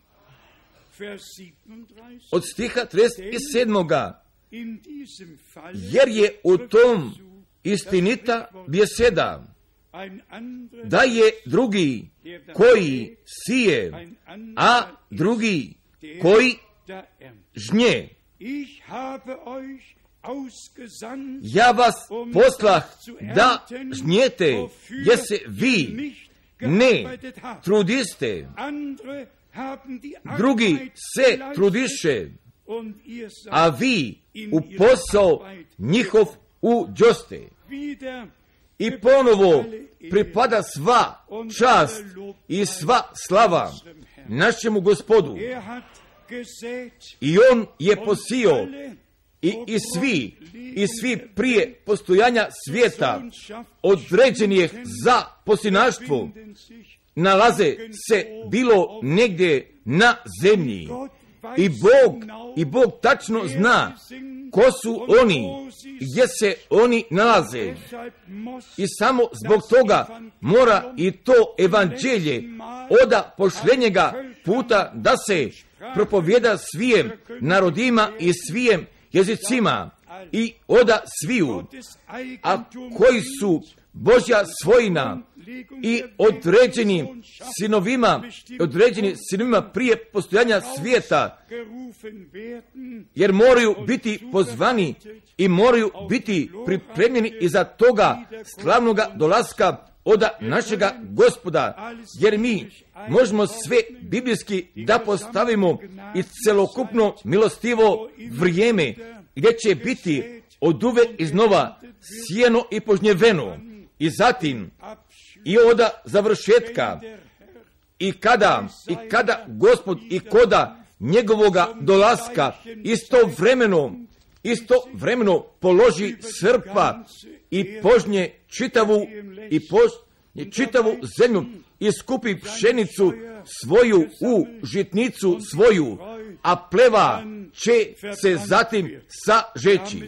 Od stiha 37. jer je u tom istinita beseda, da je drugi koji sije, a drugi koji žnje. Ja vas poslah da žnjete, jer se vi ne trudiste, drugi se trudiše, a vi u posao njihov uđoste. I ponovo pripada sva čast i sva slava našemu Gospodu. I on je posio i svi prije postojanja svijeta određenih za posinaštvo nalaze se bilo negdje na zemlji. I Bog tačno zna ko su oni, gdje se oni nalaze. I samo zbog toga mora i to evanđelje oda pošljenjega puta da se propovjeda svijem narodima i svijem jezicima i oda sviju, a koji su Božja svojina i određeni sinovima prije postojanja svijeta, jer moraju biti pozvani i moraju biti pripremljeni iza toga slavnoga dolaska oda našega Gospoda, jer mi možemo sve biblijski da postavimo i celokupno milostivo vrijeme gdje će biti oduve iznova sijeno i požnjeveno. I zatim i oda završetka i kada Gospod i koda njegovoga dolaska istovremeno istovremeno položi srpa i požnje čitavu zemlju i skupi pšenicu svoju u žitnicu svoju, a pleva će se zatim sažeći.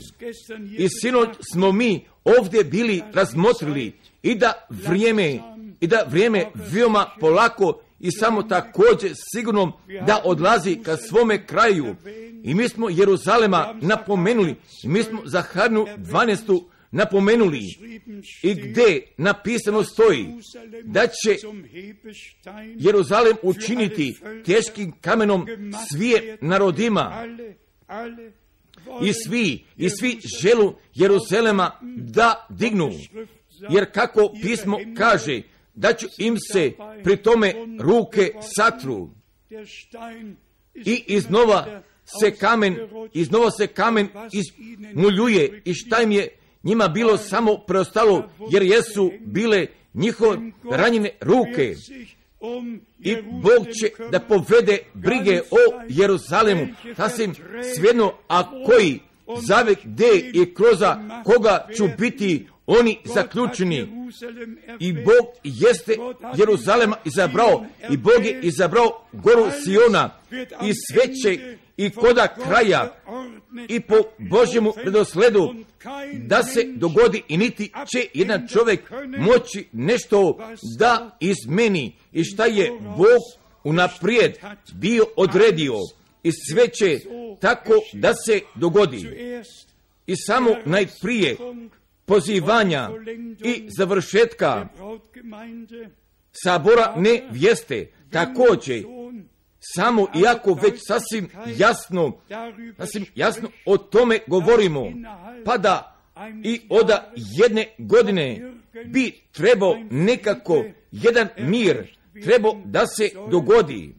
I sinoć smo mi ovdje bili razmotrili i da vrijeme veoma polako i samo također sigurno da odlazi ka svome kraju. I mi smo Jeruzalema napomenuli, i mi smo Zaharnu 12. napomenuli, i gdje napisano stoji da će Jeruzalem učiniti teškim kamenom svije narodima, i svi želu Jeruzalema da dignu, jer kako pismo kaže, da ću im se pri tome ruke satru i iznova se kamen izmuljuje, i šta im je njima bilo samo preostalo, jer jesu bile njihove ranjene ruke. I Bog će da povede brige o Jeruzalemu, sasvim svejedno, a koji zavek gdje i kroz koga ću biti oni zaključeni. I Bog jeste Jeruzalema izabrao, i Bog je izabrao goru Siona, i sve će i koda kraja i po Božjemu redosledu da se dogodi, i niti će jedan čovjek moći nešto da izmeni, i šta je Bog unaprijed bio odredio, i sve će tako da se dogodi. I samo najprije pozivanja i završetka sabora nevjeste, također samo iako već sasvim jasno o tome govorimo, pa da i od jedne godine bi trebao nekako jedan mir trebao da se dogodi.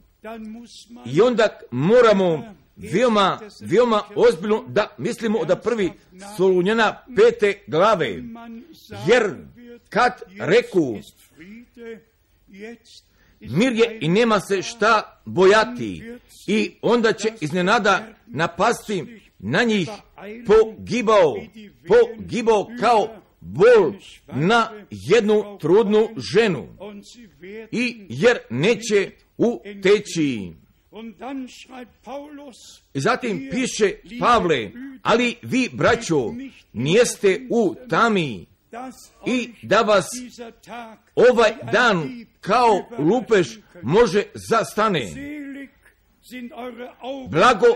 I onda moramo veoma ozbiljno da mislimo od 1. Solunjana 5. glave, jer kad reku mir je i nema se šta bojati, i onda će iznenada napasti na njih pogibao kao bol na jednu trudnu ženu, i jer neće uteći. I zatim piše Pavle, ali vi, braćo, nijeste u tami, i da vas ovaj dan kao lupež može zastane. Blago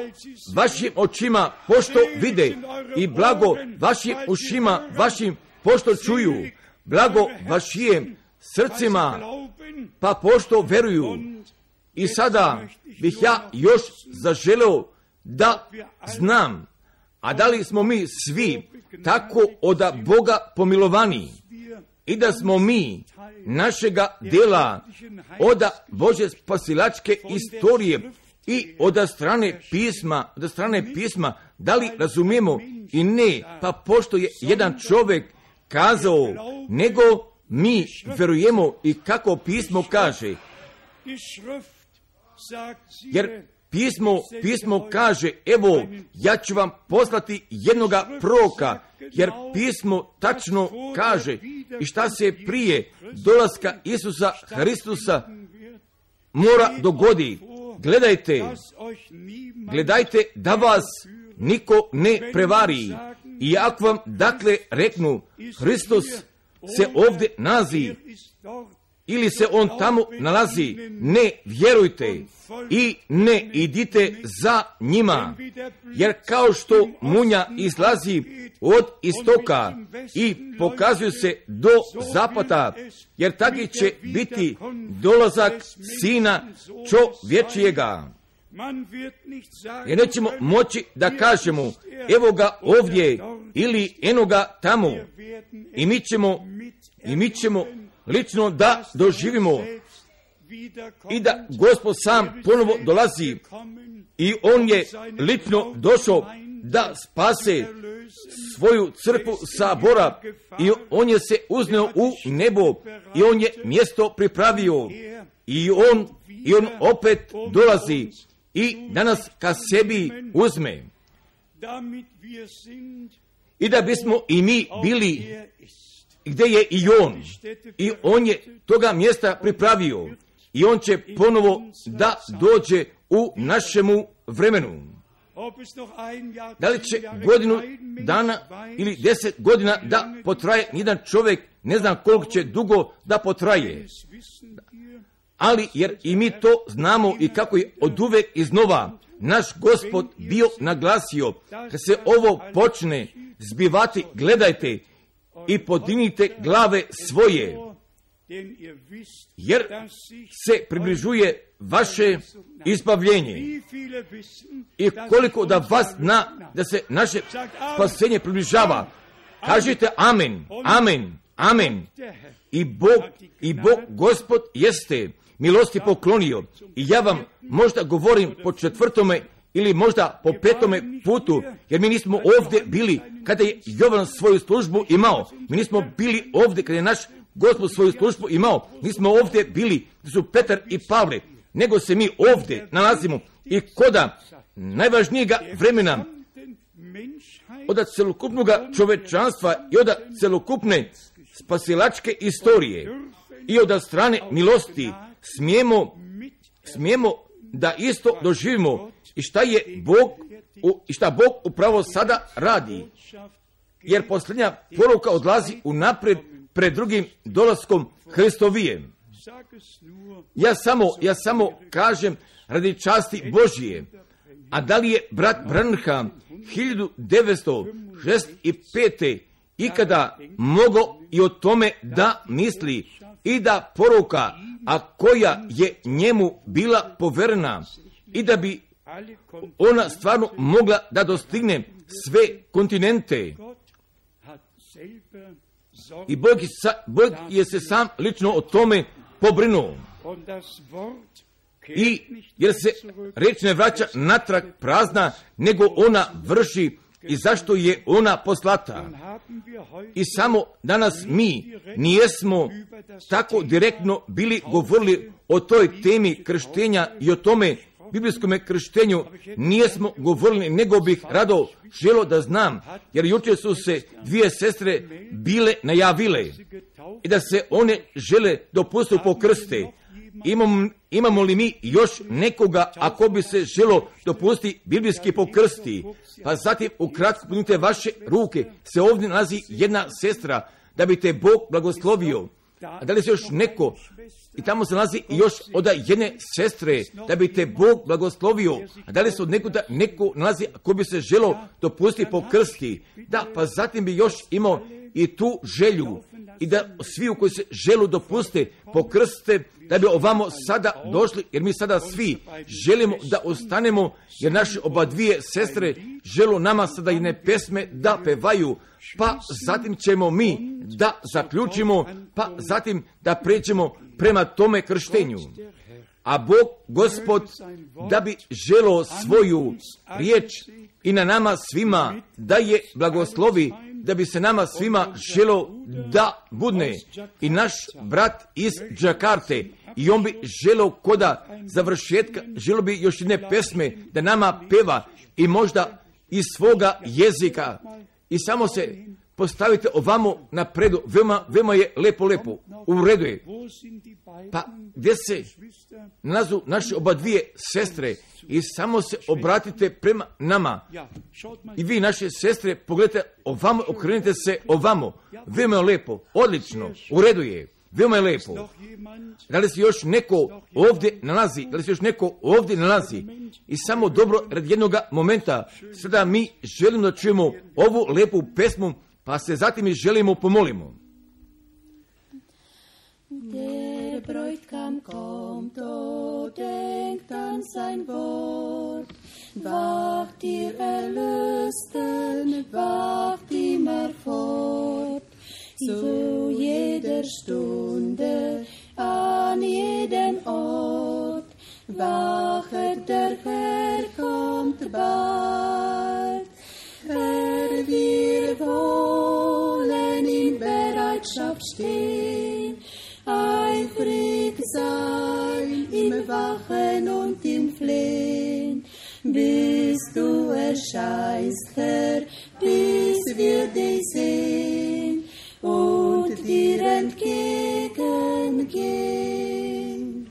vašim očima pošto vide, i blago vašim ušima vašim pošto čuju, blago vašim srcima pa pošto veruju. I sada bih ja još zaželeo da znam, a da li smo mi svi tako od Boga pomilovani, i da smo mi našega dela od Božje spasilačke istorije i od strane pisma, da li razumijemo i ne, pa pošto je jedan čovjek kazao, nego mi verujemo i kako pismo kaže. Jer pismo kaže, evo, ja ću vam poslati jednoga proroka, jer pismo tačno kaže i šta se prije dolaska Isusa Hristusa mora dogodi. Gledajte da vas niko ne prevari. I ako vam dakle reknu, Hristos se ovdje nalazi, ili se on tamo nalazi, ne vjerujte i ne idite za njima, jer kao što munja izlazi od istoka i pokazuje se do zapada, jer taki će biti dolazak Sina čovječijega. Jer nećemo moći da kažemo, evo ga ovdje ili eno ga tamo, i mi ćemo lično da doživimo i da Gospod sam ponovo dolazi, i on je lično došao da spase svoju crkvu sabora, i on je se uzneo u nebo i on je mjesto pripravio, i on opet dolazi i danas ka sebi uzme. i da bismo i mi bili gdje je i on. I on je toga mjesta pripravio. I on će ponovo da dođe u našemu vremenu. Da li će godinu dana ili 10 godina da potraje, nijedan čovjek ne zna koliko će dugo da potraje. Ali jer i mi to znamo i kako je oduvek iznova naš Gospod bio naglasio, kad se ovo počne zbivati, gledajte i podignite glave svoje, jer se približuje vaše izbavljenje. I koliko da vas zna da se naše spasenje približava, kažite amen, amen, amen. I Bog Gospod jeste milosti poklonio. I ja vam možda govorim po 4. ili možda po 5. putu, jer mi nismo ovdje bili kada je Jovan svoju službu imao. Mi nismo bili ovdje kada je naš Gospod svoju službu imao. Nismo ovdje bili gdje su Petar i Pavle, nego se mi ovdje nalazimo i koda najvažnijega vremena od celokupnog čovečanstva i od celokupne spasilačke istorije i od strane milosti smijemo da isto doživimo i šta Bog upravo sada radi. Jer posljednja poruka odlazi unaprijed pred drugim dolaskom Hristovijem. Ja samo kažem radi časti Božije. A da li je brat Branham 1965. ikada mogao i o tome da misli i da poruka, a koja je njemu bila poverena i da bi ona stvarno mogla da dostigne sve kontinente. I Bog je se sam lično o tome pobrinuo. I jer se reč ne vraća natrag prazna, nego ona vrši i zašto je ona poslata. I samo danas mi nijesmo tako direktno bili govorili o toj temi krštenja i o tome biblijskom krštenju nijesmo govorili, nego bih rado želio da znam, jer jučer su se 2 sestre bile najavile i da se one žele dopustiti po krste. Imamo li mi još nekoga ako bi se želo dopustiti biblijski pokrsti? Pa zatim ukratko punite vaše ruke, se ovdje nalazi jedna sestra da bi te Bog blagoslovio. A da li se još neko, i tamo se nalazi još od jedne sestre da bi te Bog blagoslovio. A da li se od neko nalazi ako bi se želo dopustiti pokrsti? Da, pa zatim bi još imao i tu želju i da svi koji se želu dopuste pokrste, da bi ovamo sada došli, jer mi sada svi želimo da ostanemo, jer naše oba 2 sestre želu nama sada jedne pesme da pevaju, pa zatim ćemo mi da zaključimo, pa zatim da pređemo prema tome krštenju. A Bog, Gospod, da bi želo svoju riječ i na nama svima da je blagoslovi, da bi se nama svima želo da budne i naš brat iz Džakarte, i on bi želo koda završetka, želo bi još jedne pesme da nama peva i možda iz svoga jezika. I samo se postavite ovamo napredu, veoma je lepo, u redu je. Pa gdje se nalazu naše oba 2 sestre i samo se obratite prema nama. I vi, naše sestre, pogledajte ovamo, okrenite se ovamo. Veoma je lepo, odlično, u redu je, veoma je lepo. Da li se još neko ovdje nalazi? I samo dobro, radi jednog momenta, sada mi želimo da čujemo ovu lepu pesmu, pa se zatim i želimo pomolimo. Der Bräutigam kommt, o denkt an sein Wort. Wacht ihr Erlösten, wacht immer fort. Zu jeder Stunde, an jedem Ort. Wachet, der Herr kommt bald. Herr, wir wollen in Bereitschaft stehen, eifrig sein im Wachen und im Flehen, bis du erscheinst, Herr, bis wir dich sehen und dir entgegengehen.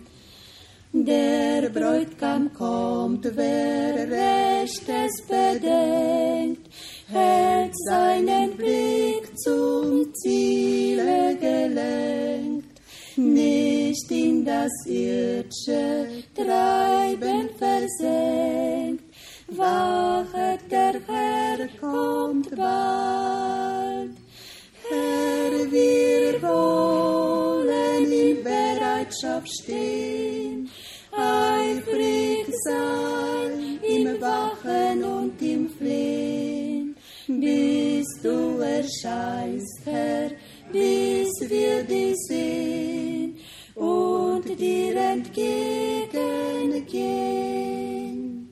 Der Bräutigam kommt, wer Rechtes bedenkt, hält seinen Blick zum Ziele gelenkt, nicht in das irdische Treiben versenkt. Wachet, der Herr kommt bald. Herr, wir wollen in Bereitschaft stehen, eifrig sein im Wachen und im Flehen, bis du erscheinst, Herr, bis wir dich sehen und dir entgegengehen.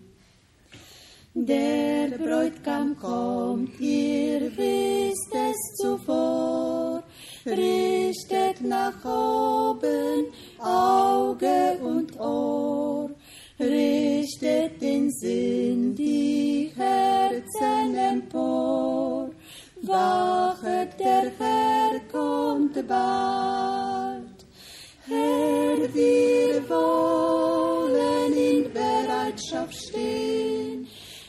Der Bräutigam kommt, ihr wisst es zuvor, richtet nach oben Auge und Ohr, richtet den Sinn, die Herzen empor. Wachet, der Herr kommt bald. Herr, wir wollen in Bereitschaft stehen,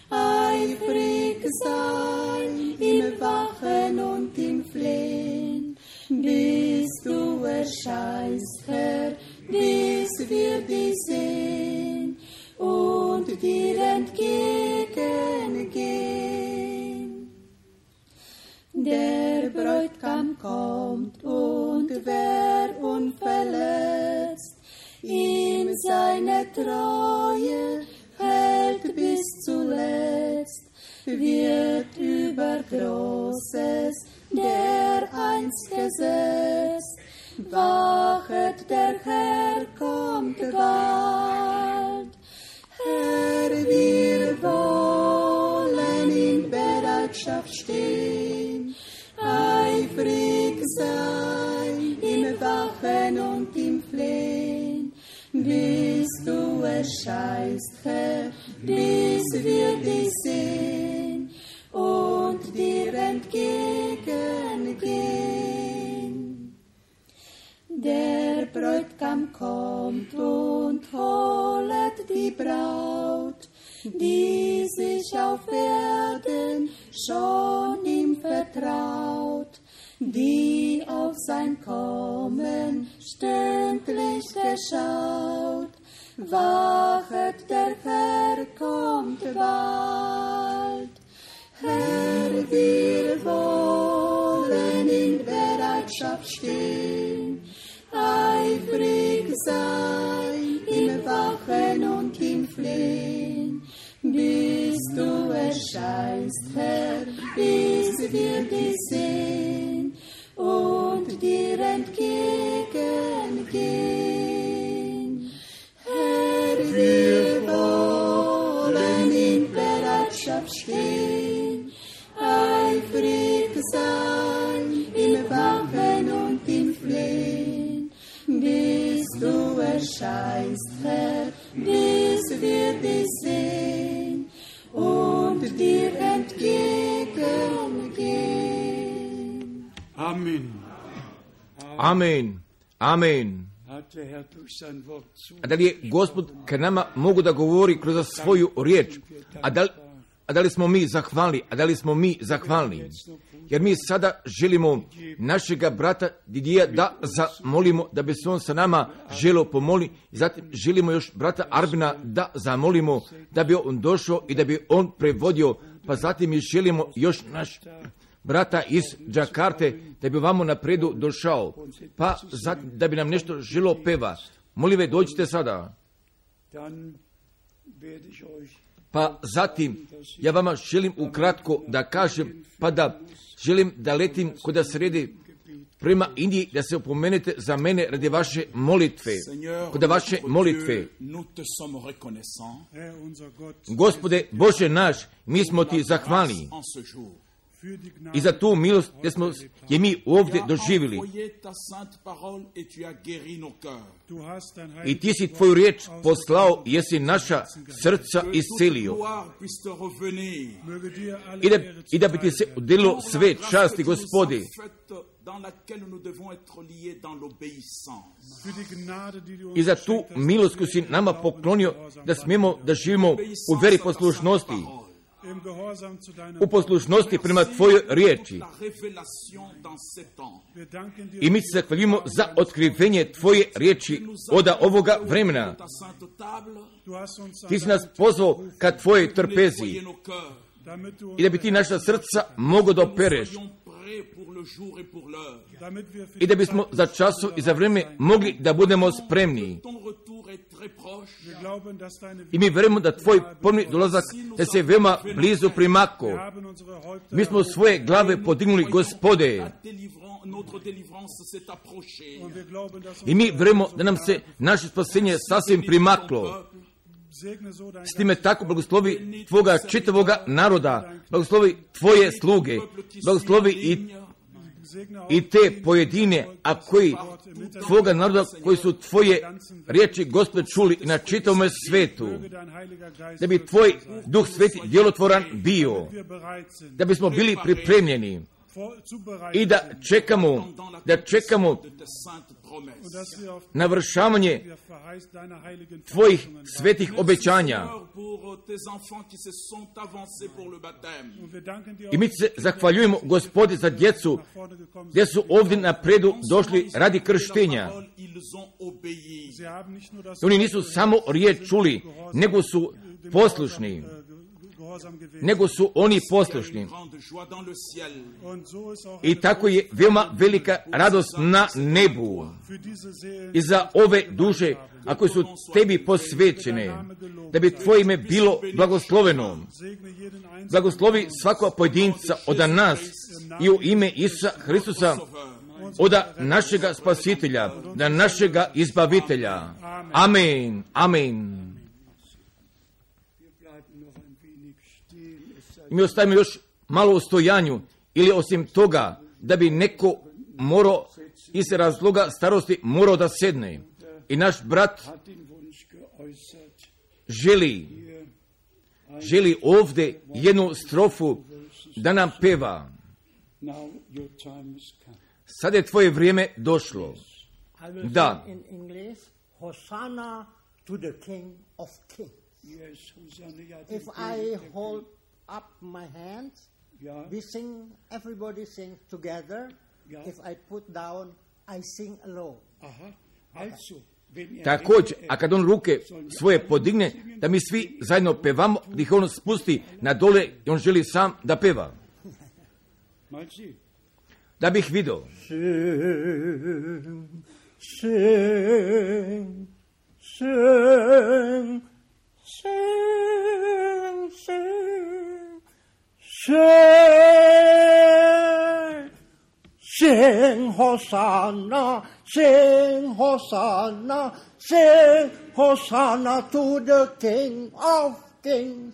eifrig sein im Wachen und im Flehen, bis du erscheinst, Herr, bis wir dich sehen und dir entgegengehen. Der Bräutigam kommt und wer unverletzt ihm seine Treue hält bis zuletzt, wird über Großes dereinst gesetzt. Wachet, der Herr kommt bald. Herr, wir wollen in Bereitschaft stehen, eifrig sein im Wachen und im Flehen, bis du erscheinst, Herr, bis wir dich sehen und dir entgegengehen. Der Bräutigam kommt und holet die Braut, die sich auf Erden schon ihm vertraut, die auf sein Kommen stündlich geschaut. Wachet, der Herr kommt bald. Herr, wir wollen in Bereitschaft stehen, eifrig sein im Wachen und im Flehen, bis du erscheinst, Herr, bis wir dich sehen und dir entgegengehen. Herr, wir wollen in Bereitschaft stehen, eifrig sein im Wachen und im Flehen, bis du erscheinst, Herr, bis wir dich sehen und dir entgegengehen. Amen. Amen. Amen. A da li je Gospod k nama mogu da govori kroz svoju riječ? A da li smo mi zahvalni? A da li smo mi zahvalni? Jer mi sada želimo našega brata Didija da zamolimo, da bi se on sa nama želio pomoli. I zatim želimo još brata Arbina da zamolimo, da bi on došao i da bi on prevodio. Pa zatim mi želimo još naš brata iz Džakarte, da bi vamo napredu došao. Pa zatim da bi nam nešto želio peva. Molim ve, dođite sada. Pa zatim ja vama želim ukratko da kažem, pa da želim da letim kod da sredi prema Indiji, da se opomenete za mene radi vaše molitve. Kod vaše molitve. Gospode Bože naš, mi smo ti zahvalni i za tu milost gdje smo je mi ovdje doživjeli. I ti si tvoju riječ poslao, jesi naša srca iscelio. I da bi ti se udelilo sve časti, Gospodi. I za tu milost koju si nama poklonio, da smijemo da živimo u veri poslušnosti, u poslušnosti prema tvojoj riječi. I mi se zahvaljujemo za otkrivenje tvoje riječi od ovoga vremena. Ti si nas pozvao ka tvojoj trpezi i da bi ti naša srca mogo da opereš i da bismo za časov i za vrijeme mogli da budemo spremni. I mi verujemo da tvoj ponovni dolazak da se veoma blizu primako. Mi smo svoje glave podignuli, Gospode. I mi verujemo da nam se naše spasenje sasvim primaklo. S time tako blagoslovi tvoga čitavoga naroda, blagoslovi tvoje sluge, blagoslovi i te pojedine, a koji tvoga naroda, koji su tvoje riječi, Gospod, čuli na čitavome svetu, da bi tvoj Duh Sveti djelotvoran bio, da bismo bili pripremljeni i da čekamo navršavanje tvojih svetih obećanja. I mi se zahvaljujemo, Gospodi, za djecu gdje su ovdje napredu došli radi krštenja. Oni nisu samo riječ čuli, nego su poslušni. I tako je veoma velika radost na nebu i za ove duše, a koje su tebi posvećene, da bi tvoje ime bilo blagosloveno. Blagoslovi svakog pojedinca od nas i u ime Isusa Hristusa, od našega spasitelja, da našega izbavitelja. Amen. Amen. Mi ostavimo još malo u stojanju, ili osim toga da bi neko morao iz razloga starosti morao da sedne. I naš brat želi ovdje jednu strofu da nam peva. Sad je tvoje vrijeme došlo. Da. Hosanna to the King of Kings. If I hold up my hands, we sing, everybody sings together. If I put down, I sing alone. Također, a kad on ruke svoje podigne, da mi svi zajedno pevamo, da ih on spusti na dole i on želi sam da peva. Da bih vidio. Sing, sing, sing, sing, sing, sing, Hosanna, sing, Hosanna, sing, Hosanna to the King of Kings.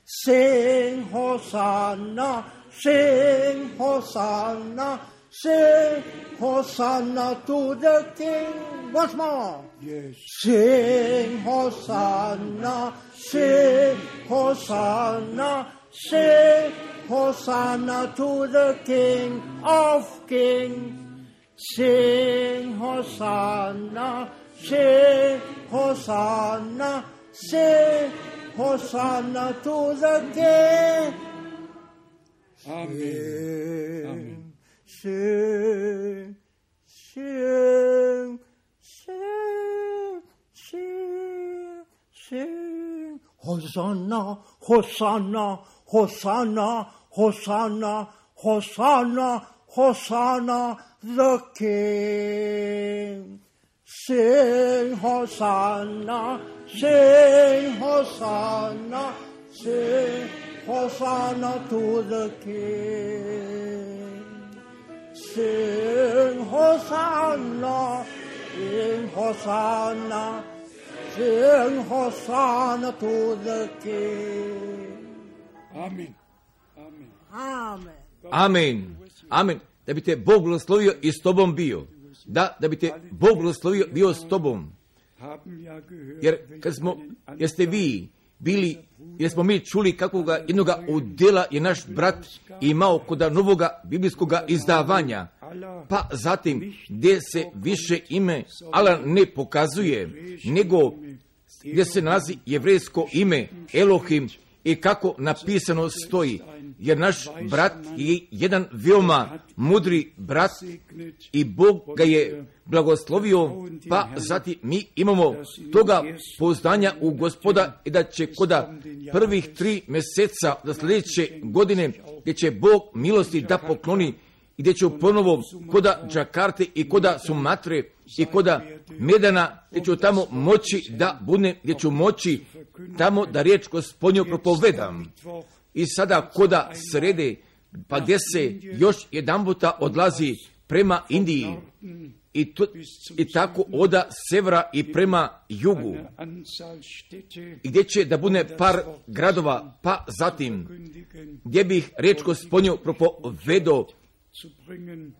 Sing, Hosanna, sing, Hosanna, sing, Hosanna to the King. Once more. Yes. Sing, Hosanna, sing, Hosanna, sing, Hosanna to the King of Kings. Sing, Hosanna, sing, Hosanna, sing, Hosanna to the King. Amen. Amen. Sing, sing, sing, sing, sing. Hosanna, Hosanna, Hosanna, Hosanna, Hosanna, Hosanna, the King. Sing, Hosanna, sing, Hosanna, sing, Hosanna to the King. Sing, Hosanna, sing, Hosanna, sing, Hosanna to the King. Amen. Amen. Amen. Amen. Amen. Da bi te Bog blagoslovio i s tobom bio. Da bi te Bog blagoslovio bio s tobom. Jer jeste vi bili, jer smo mi čuli kakvoga jednoga udjela je naš brat imao kod novoga biblijskoga izdavanja. Pa zatim, gdje se više ime Allah ne pokazuje, nego gdje se nalazi jevrejsko ime Elohim i kako napisano stoji. Jer naš brat je jedan veoma mudri brat i Bog ga je blagoslovio, pa zatim mi imamo toga pouzdanja u Gospoda i da će koda prvih 3 mjeseca do sljedeće godine, gdje će Bog milosti da pokloni i gdje će ponovo koda Džakarte i koda Sumatre i koda Medana, gdje ću tamo moći da budem, gdje ću moći tamo da riječ Gospodnju propovedam. I sada koda srede, pa gdje se još jedan puta odlazi prema Indiji i tako oda severa i prema jugu. I gdje će da bude par gradova, pa zatim gdje bih riječ Gospodnju propovedao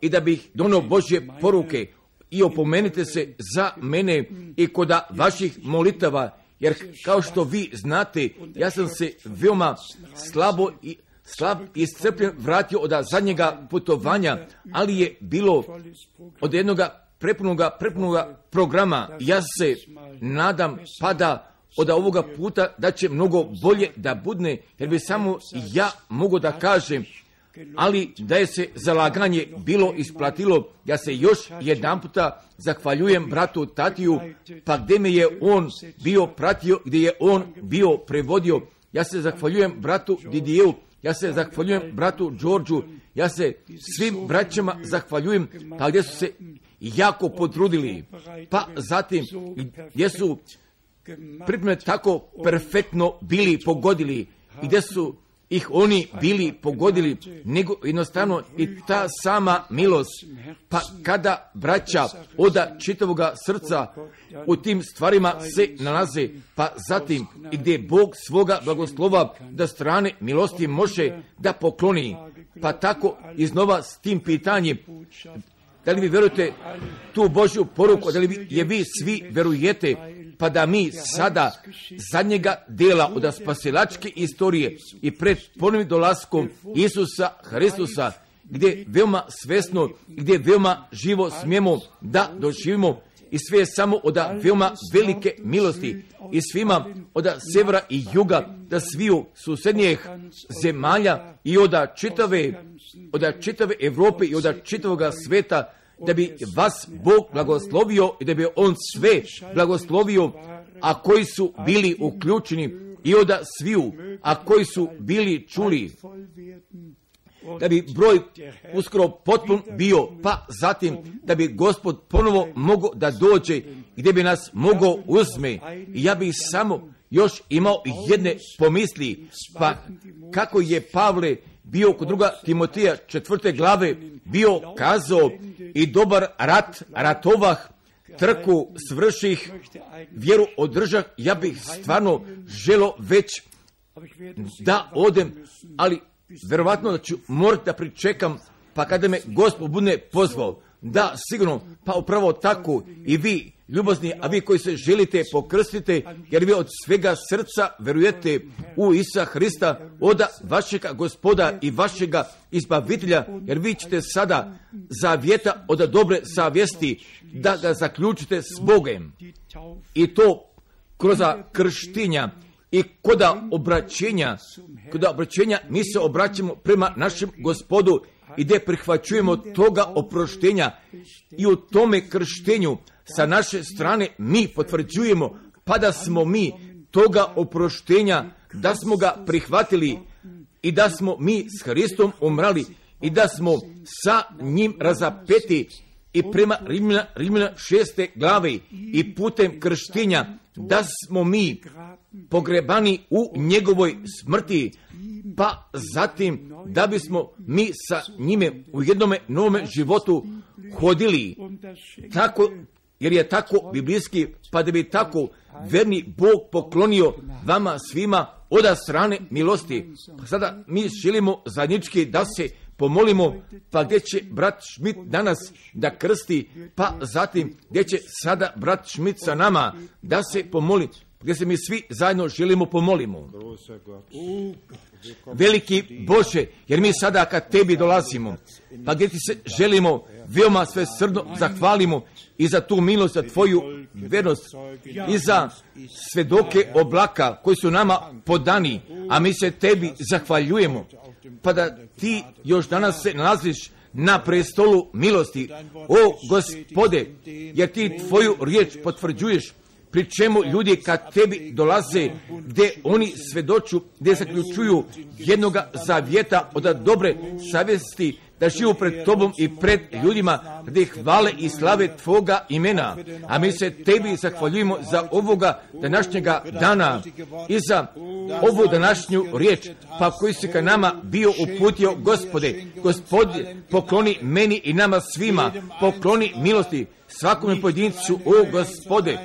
i da bih donio Božje poruke i opomenite se za mene i koda vaših molitava. Jer kao što vi znate, ja sam se veoma slab i iscrpljen vratio od zadnjega putovanja, ali je bilo od jednoga prepunoga programa. Ja se nadam pa da od ovoga puta da će mnogo bolje da budne, jer bi samo ja mogu da kažem, ali da je se zalaganje bilo isplatilo. Ja se još jedan puta zahvaljujem bratu Tatiju, pa gdje me je on bio pratio, gdje je on bio prevodio. Ja se zahvaljujem bratu Didiju, ja se zahvaljujem bratu Đorđu, ja se svim braćama zahvaljujem, pa gdje su se jako potrudili. Pa zatim gdje su pripreme tako perfektno bili pogodili i gdje su ih oni bili pogodili, nego jednostavno i ta sama milost. Pa kada braća oda čitavoga srca u tim stvarima se nalaze, pa zatim i gdje Bog svoga blagoslova da strane milosti može da pokloni. Pa tako iznova s tim pitanjem, da li vi vjerujete tu Božju poruku, da li je vi svi vjerujete, pa da mi sada zadnjega dela od spasilačke istorije i pred ponovnim dolaskom Isusa Hristusa, gdje veoma svesno, gdje veoma živo smijemo da doživimo i sve je samo od veoma velike milosti i svima od severa i juga, da sviju susednjih zemalja i od čitave Evrope i od čitavoga sveta, da bi vas Bog blagoslovio i da bi On sve blagoslovio, a koji su bili uključeni i od sviju, a koji su bili čuli, da bi broj uskoro potpun bio, pa zatim da bi Gospod ponovo mogao da dođe, gdje bi nas mogao uzme. I ja bih samo još imao jedne pomisli, pa kako je Pavle bio kod 2. Timotija 4. glave bio kazao: i dobar rat ratovah, trku svrših, vjeru održah. Ja bih stvarno želo već da odem, ali verovatno da ću morati da pričekam, pa kada me Gospod bude pozvao. Da, sigurno, pa upravo tako i vi, ljubazni, a vi koji se želite pokrstite, jer vi od svega srca verujete u Isusa Hrista, od vašega Gospoda i vašega izbavitelja, jer vi ćete sada zavjeta od dobre savjesti da ga zaključite s Bogem. I to kroz krštenja i koda obraćenja mi se obraćamo prema našem Gospodu i gdje prihvaćujemo toga oproštenja i u tome krštenju sa naše strane mi potvrđujemo pa da smo mi toga oproštenja, da smo ga prihvatili i da smo mi s Hristom umrali i da smo sa njim razapeti i prema Rimljana 6. glave i putem krštenja da smo mi pogrebani u njegovoj smrti, pa zatim da bismo mi sa njime u jednome novome životu hodili. Tako, jer je tako biblijski, pa da bi tako verni Bog poklonio vama svima od strane milosti. Sada mi želimo zajednički da se pomolimo, pa gdje će brat Schmidt danas da krsti, pa zatim gdje će sada brat Schmidt sa nama da se pomoli, gdje se mi svi zajedno želimo pomolimo. Veliki Bože, jer mi sada kad tebi dolazimo, pa gdje ti se želimo veoma svesrdno zahvalimo i za tu milost, za tvoju vernost i za svedoke oblaka koji su nama podani, a mi se tebi zahvaljujemo, pa da ti još danas se nalaziš na prestolu milosti, o Gospode, jer ti tvoju riječ potvrđuješ, pri čemu ljudi kad tebi dolaze, gdje oni svedoču, gdje zaključuju jednoga zavjeta od dobre savjesti, da živu pred tobom i pred ljudima, gdje hvale i slave tvoga imena. A mi se tebi zahvaljujemo za ovoga današnjega dana i za ovu današnju riječ, pa koji si ka nama bio uputio, Gospode. Gospode, pokloni meni i nama svima, pokloni milosti svakome pojedincu, o Gospode.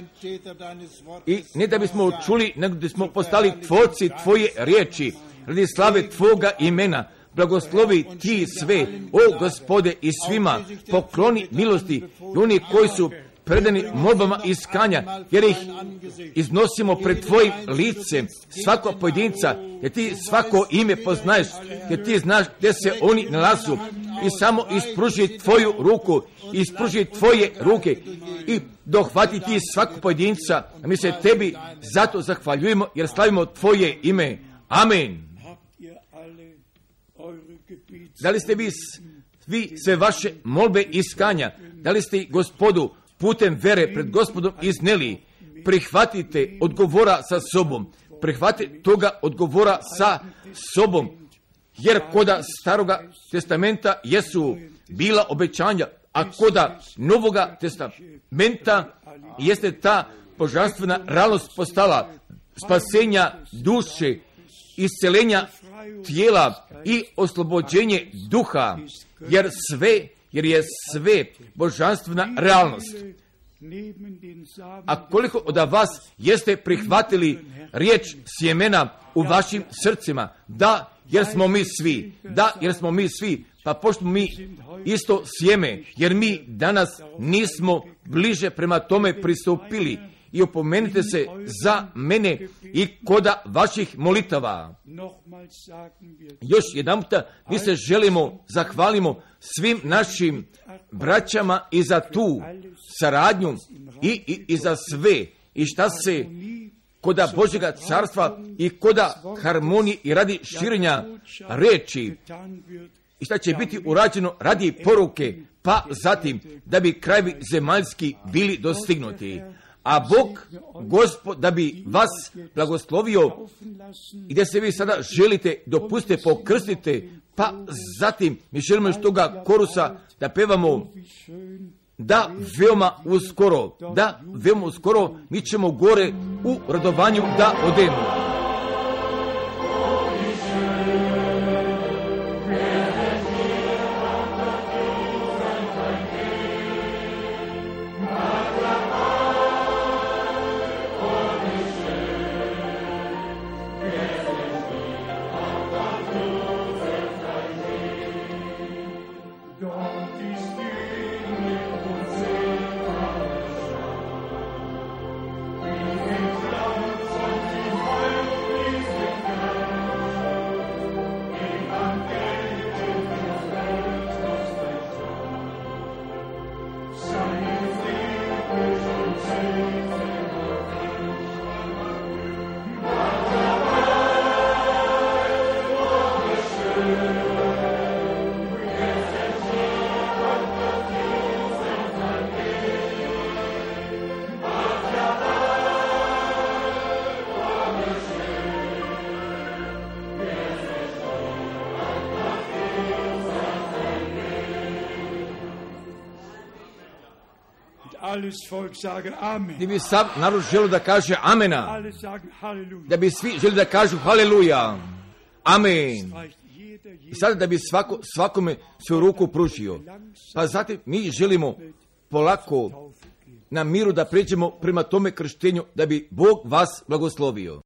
I ne da bismo čuli, nego da smo postali tvorci tvoje riječi, radi slave tvoga imena. Blagoslovi ti sve, o Gospode, i svima pokloni milosti i oni koji su predani molbama iskanja, jer ih iznosimo pred tvojim licem, svako pojedinca, jer ti svako ime poznaješ, jer ti znaš gdje se oni nalazu i samo ispruži tvoju ruku, ispruži tvoje ruke i dohvati ti svakog pojedinca, a mi se tebi zato zahvaljujemo jer slavimo tvoje ime. Amen. Da li ste vi sve vaše molbe iskanja, da li ste Gospodu putem vere pred Gospodom izneli? Prihvatite odgovora sa sobom, prihvatite toga odgovora sa sobom, jer koda Staroga testamenta jesu bila obećanja, a koda Novoga testamenta jeste ta božanstvena realnost postala spasenja duše, isceljenja tijela i oslobođenje duha, jer je sve božanstvena realnost. A koliko od vas jeste prihvatili riječ sjemena u vašim srcima? Da, jer smo mi svi, pa pošto mi isto sjeme, jer mi danas nismo bliže prema tome pristupili. I opomenite se za mene i koda vaših molitava. Još jedanputa mi se želimo, zahvalimo svim našim braćama i za tu saradnju i za sve i šta se koda Božjega carstva i koda harmonije i radi širenja reči i šta će biti urađeno radi poruke, pa zatim da bi krajevi zemaljski bili dostignuti. A Bog, Gospod, da bi vas blagoslovio i gdje se vi sada želite, dopustite, pokrstite, pa zatim mi želimo još toga korusa da pevamo da veoma uskoro mi ćemo gore u radovanju da odemo. Da bi sav narod želio da kaže amena, da bi svi želi da kažu haleluja, amen. I sada da bi svakome svoju ruku pružio. Pa zatim mi želimo polako na miru da pređemo prema tome krštenju, da bi Bog vas blagoslovio.